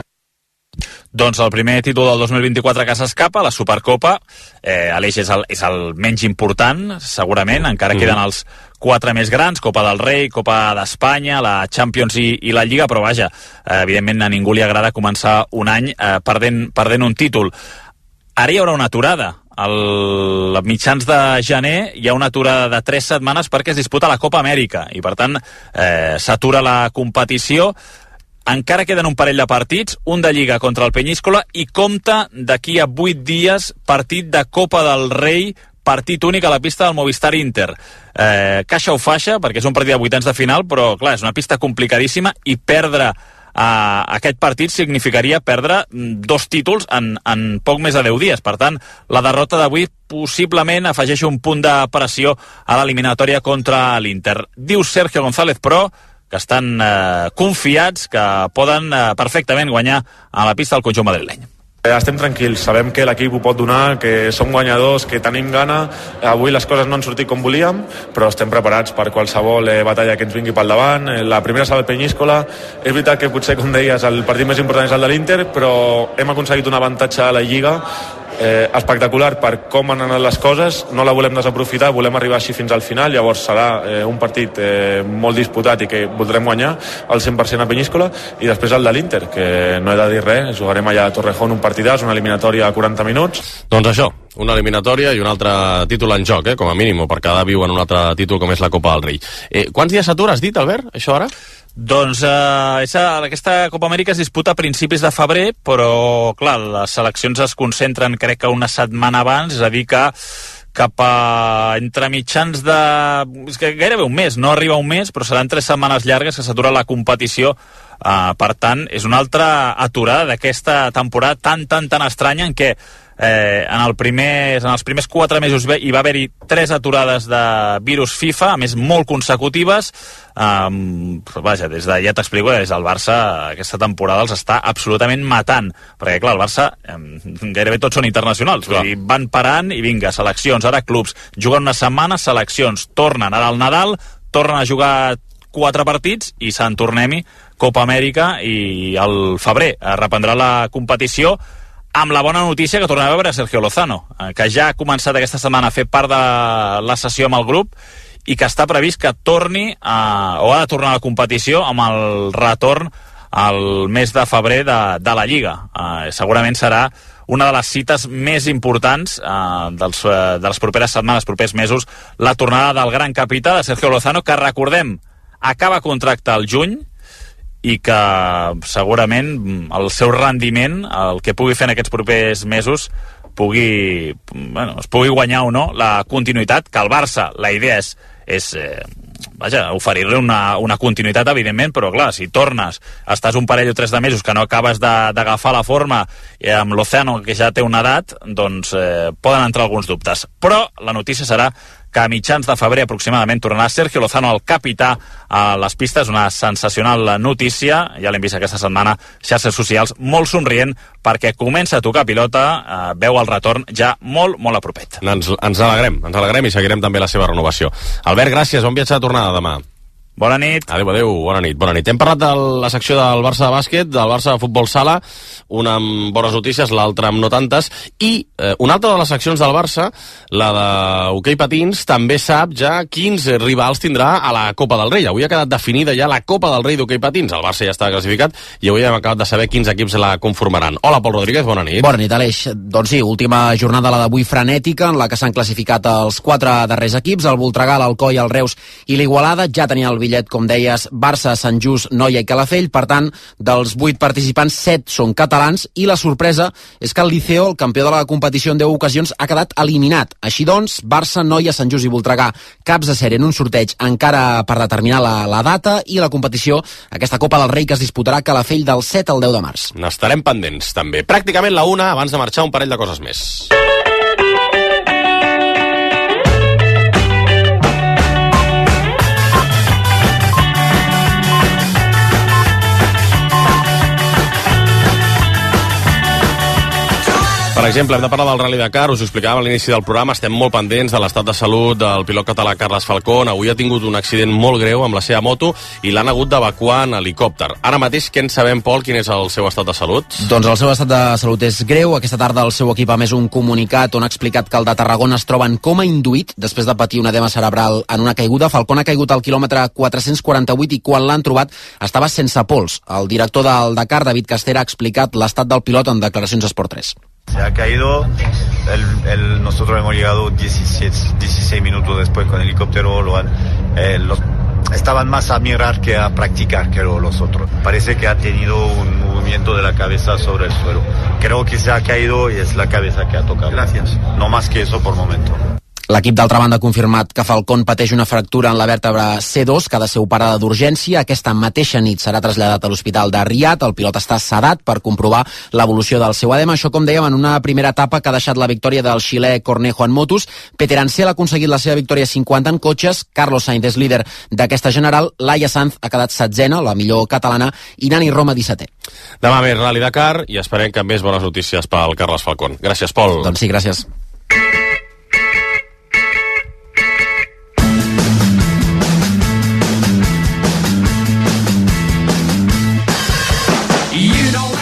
Doncs el primer títol del dos mil vint-i-quatre que s'escapa, la Supercopa, eh, l'Eix és, el, és el menys important, segurament, encara mm. queden els quatre més grans, Copa del Rei, Copa d'Espanya, la Champions i, i la Lliga, però vaja, eh, evidentment a ningú li agrada començar un any eh, perdent, perdent un títol. Ara hi haurà una aturada. Al mitjans de gener hi ha una aturada de tres setmanes perquè es disputa la Copa Amèrica, i per tant eh, s'atura la competició. Encara queden un parell de partits, un de Lliga contra el Peñíscola, i compta d'aquí a vuit dies partit de Copa del Rei, partit únic a la pista del Movistar Inter. Eh, caixa o faixa, perquè és un partit de vuitens de final, però clar, és una pista complicadíssima, i perdre Uh, aquest partit significaria perdre dos títols en, en poc més de deu dies. Per tant, la derrota d'avui possiblement afegeix un punt de pressió a l'eliminatòria contra l'Inter. Diu Sergio González, però, que estan uh, confiats que poden uh, perfectament guanyar a la pista del conjunt madrileny. Estem tranquils, sabem que l'equip ho pot donar, que som guanyadors, que tenim gana. Avui les coses no han sortit com volíem, però estem preparats per qualsevol eh, batalla que ens vingui pel davant. La primera serà el Peñíscola. És veritat que potser, com deies, el partit més important és el de l'Inter, però hem aconseguit un avantatge a la Lliga eh, espectacular per com han anat les coses. No la volem desaprofitar, volem arribar així fins al final. Llavors serà eh, un partit eh, molt disputat i que voldrem guanyar al cent per cent a Peñíscola, i després el de l'Inter, que no he de dir res, jugarem allà a Torrejón un partidàs, una eliminatòria a quaranta minuts. Doncs això, una eliminatòria i un altre títol en joc, eh, com a mínim, per cada viu en un altre títol com és la Copa del Rei. Eh, quants dies s'atura, has dit, Albert, això ara? Doncs eh, esa, aquesta Copa Amèrica es disputa a principis de febrer, però clar, les seleccions es concentren crec que una setmana abans, és a dir que cap a entre mitjans de... és que gairebé un mes, no arriba un mes, però seran tres setmanes llargues que s'atura la competició. Uh, per tant, és una altra aturada d'aquesta temporada tan, tan, tan estranya en què eh, en, el primer, en els primers quatre mesos hi va haver-hi tres aturades de virus FIFA, a més molt consecutives. Um, vaja, des de, ja t'explico, des del Barça aquesta temporada els està absolutament matant, perquè clar, el Barça um, gairebé tots són internacionals, vull dir, van parant i vinga, seleccions, ara clubs, juguen una setmana, seleccions, tornen ara al Nadal, tornen a jugar quatre partits i se'n tornem-hi Copa Amèrica, i al febrer es reprendrà la competició, amb la bona notícia que tornem a veure Sergio Lozano, que ja ha començat aquesta setmana a fer part de la sessió amb el grup i que està previst que torni a, o ha de tornar a la competició amb el retorn al mes de febrer de, de la Lliga. Uh, segurament serà una de les cites més importants uh, dels, uh, de les properes setmanes, propers mesos, la tornada del gran capità de Sergio Lozano, que recordem acaba contracte al juny i que segurament el seu rendiment, el que pugui fer en aquests propers mesos, pugui, bueno, es pugui guanyar o no la continuïtat, que el Barça, la idea és, és eh, vaja, oferir-li una, una continuïtat, evidentment, però clar, si tornes, estàs un parell o tres de mesos que no acabes d'agafar la forma eh, amb l'Oceano, que ja té una edat, doncs eh, poden entrar alguns dubtes. Però la notícia serà que a mitjans de febrer aproximadament tornarà Sergio Lozano, el capità, a les pistes. Una sensacional notícia, ja l'hem vist aquesta setmana, xarxes socials, molt somrient, perquè comença a tocar pilota, eh, veu el retorn ja molt, molt a propet. Ens, ens alegrem, ens alegrem i seguirem també la seva renovació. Albert, gràcies, bon viatge de tornada demà. Bona nit. Adéu, adéu, bona nit, bona nit. Hem parlat de la secció del Barça de bàsquet, del Barça de futbol sala, una amb bones notícies, l'altra amb no tantes, i eh, una altra de les seccions del Barça, la d'hoquei patins, també sap ja quins rivals tindrà a la Copa del Rei. Avui ha quedat definida ja la Copa del Rei d'hoquei patins. El Barça ja està classificat i avui hem acabat de saber quins equips la conformaran. Hola, Pol Rodríguez, bona nit. Bona nit, Aleix. Doncs sí, última jornada la d'avui frenètica, en la que s'han classificat els quatre darrers equips, el Voltregà, l'Alcoi, el Reus i l'Igualada. Ja tenia el bitllet, com deies, Barça, Sant Just, Noia i Calafell. Per tant, dels vuit participants, set són catalans, i la sorpresa és que el Liceo, el campió de la competició en deu ocasions, ha quedat eliminat. Així doncs, Barça, Noia, Sant Just i Voltregà, caps de sèrie en un sorteig encara per determinar la, la data i la competició, aquesta Copa del Rei que es disputarà a Calafell del set al deu de març. N'estarem pendents, també. Pràcticament la una, abans de marxar, un parell de coses més. Per exemple, hem de parlar del Rally Dakar, us ho explicàvem a l'inici del programa, estem molt pendents de l'estat de salut del pilot català Carles Falcón. Avui ha tingut un accident molt greu amb la seva moto i l'han hagut d'evacuar en helicòpter. Ara mateix, què en sabem, Pol, quin és el seu estat de salut? Doncs el seu estat de salut és greu. Aquesta tarda el seu equip ha emès un comunicat on ha explicat que el de Tarragona es troba en coma induït després de patir un edema cerebral en una caiguda. Falcón ha caigut al quilòmetre quatre-cents quaranta-vuit i quan l'han trobat estava sense pols. El director del Dakar, David Castera, ha explicat l'estat del pilot en declaracions a Esport tres. Se ha caído, el, el, nosotros hemos llegado diecisiete, dieciséis minutos después con el helicóptero, lo han, eh, los, estaban más a mirar que a practicar que los otros. Parece que ha tenido un movimiento de la cabeza sobre el suelo. Creo que se ha caído y es la cabeza que ha tocado. Gracias. No más que eso por momento. L'equip, d'altra banda, ha confirmat que Falcón pateix una fractura en la vèrtebra C dos, que ha de ser operada d'urgència. Aquesta mateixa nit serà traslladat a l'hospital de Riad. El pilot està sedat per comprovar l'evolució del seu edema. Això, com dèiem, en una primera etapa que ha deixat la victòria del xilè Cornejo en motos. Peter Ansel ha aconseguit la seva victòria cinquanta en cotxes. Carlos Sainz és líder d'aquesta general. Laia Sanz ha quedat setzena, la millor catalana, i Nani Roma dissetè. Demà més Rally Dakar i esperem que més bones notícies pel Carles Falcón. Gràcies, Pol. Doncs sí, gràcies.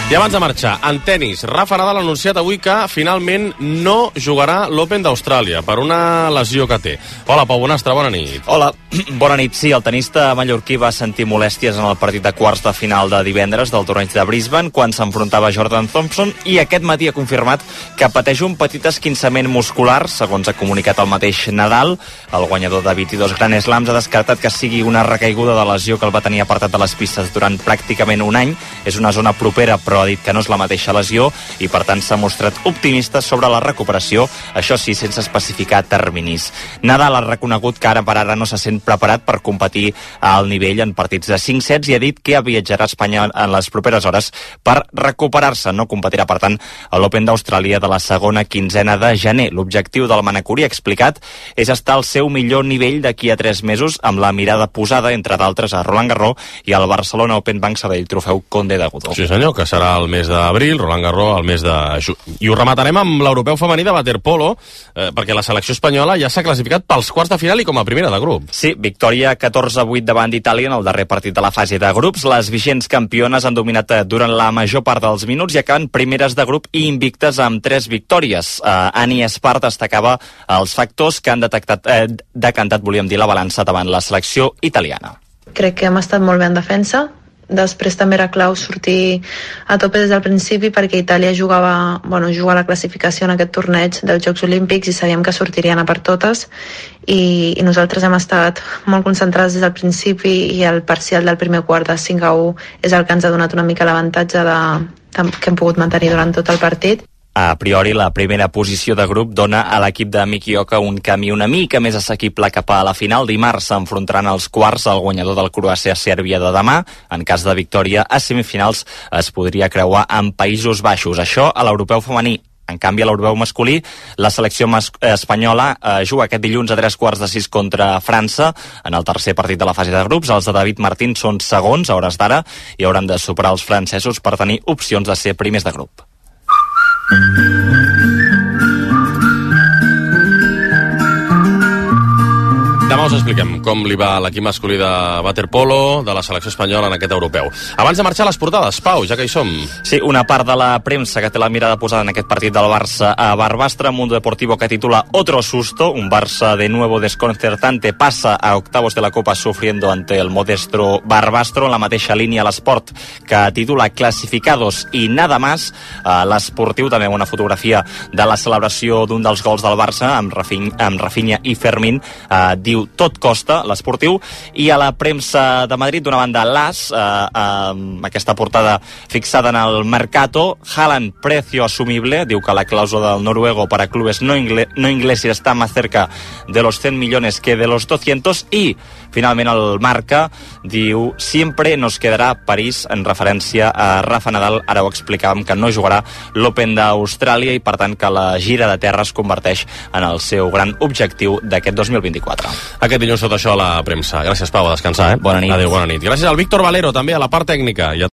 I abans de marxar, en tennis, Rafa Nadal ha anunciat avui que finalment no jugarà l'Open d'Austràlia per una lesió que té. Hola, Pau Bonastre, bona nit. Hola, bona nit. Sí, el tenista mallorquí va sentir molèsties en el partit de quarts de final de divendres del torneig de Brisbane quan s'enfrontava a Jordan Thompson i aquest matí ha confirmat que pateix un petit esquinçament muscular, segons ha comunicat el mateix Nadal. El guanyador de vint-i-dos Grand Slams ha descartat que sigui una recaiguda de lesió que el va tenir apartat de les pistes durant pràcticament un any. És una zona propera, però ha dit que no és la mateixa lesió i per tant s'ha mostrat optimista sobre la recuperació, això sí, sense especificar terminis. Nadal ha reconegut que ara per ara no se sent preparat per competir al nivell en partits de cinc sets i ha dit que viatjarà a Espanya en les properes hores per recuperar-se. No competirà, per tant, a l'Open d'Austràlia de la segona quinzena de gener. L'objectiu del manacorí, ha explicat, és estar al seu millor nivell d'aquí a tres mesos amb la mirada posada, entre d'altres, a Roland Garros i al Barcelona Open Bank Sabadell Trofeu Conde de Godó. Sí, senyor, que serà el mes d'abril, Roland Garros el mes de juny. I ho rematarem amb l'europeu femení de waterpolo, eh, perquè la selecció espanyola ja s'ha classificat pels quarts de final i com a primera de grup. Sí, victòria catorze a vuit davant d'Itàlia en el darrer partit de la fase de grups. Les vigents campiones han dominat durant la major part dels minuts i acaben primeres de grup i invictes amb tres victòries. Eh, Ani Espart destacava els factors que han detectat, eh, decantat, volíem dir, la balança davant la selecció italiana. Crec que hem estat molt bé en defensa. Després també era clau sortir a tope des del principi perquè Itàlia jugava, bueno, juga a la classificació en aquest torneig dels Jocs Olímpics i sabíem que sortirien a per totes i, i nosaltres hem estat molt concentrats des del principi i el parcial del primer quart de cinc a u és el que ens ha donat una mica l'avantatge de, de, que hem pogut mantenir durant tot el partit. A priori, la primera posició de grup dona a l'equip de Miki Oka un camí una mica més assequible cap a la final. Dimarts s'enfrontaran als quarts el guanyador del Croàcia-Sèrbia de demà. En cas de victòria, a semifinals es podria creuar amb Països Baixos. Això a l'europeu femení. En canvi, a l'europeu masculí, la selecció mas- espanyola eh, juga aquest dilluns a tres quarts de sis contra França en el tercer partit de la fase de grups. Els de David Martín són segons a hores d'ara i hauran de superar els francesos per tenir opcions de ser primers de grup. Demà us expliquem com li va a l'equip masculí de waterpolo de la selecció espanyola en aquest europeu. Abans de marxar a les portades, Pau, ja que hi som. Sí, una part de la premsa que té la mirada posada en aquest partit del Barça a Barbastre, Mundo Deportivo que titula Otro susto, un Barça de nuevo desconcertante passa a octavos de la Copa sufriendo ante el modesto Barbastro. En la mateixa línia l'Esport que titula Clasificados i nada más. Uh, L'Esportiu també una fotografia de la celebració d'un dels gols del Barça amb, Rafin, amb Rafinha i Fermín. Uh, diu tot costa, l'Esportiu. I a la premsa de Madrid, d'una banda l'As, eh, eh, aquesta portada fixada en el Mercato, Haaland, precio asumible, diu que la clàusula del noruego para clubes no, ingle no ingleses está más cerca de los cent millones que de los doscientos, i finalment el Marca diu siempre nos quedará París, en referència a Rafa Nadal. Ara ho explicàvem que no jugarà l'Open d'Austràlia i per tant que la gira de terra es converteix en el seu gran objectiu d'aquest dos mil vint-i-quatre. Aquest dilluns tot això a la premsa. Gràcies, Pau, a descansar, eh? Bona nit. Adéu, bona nit. Gràcies al Víctor Valero, també, a la part tècnica. I a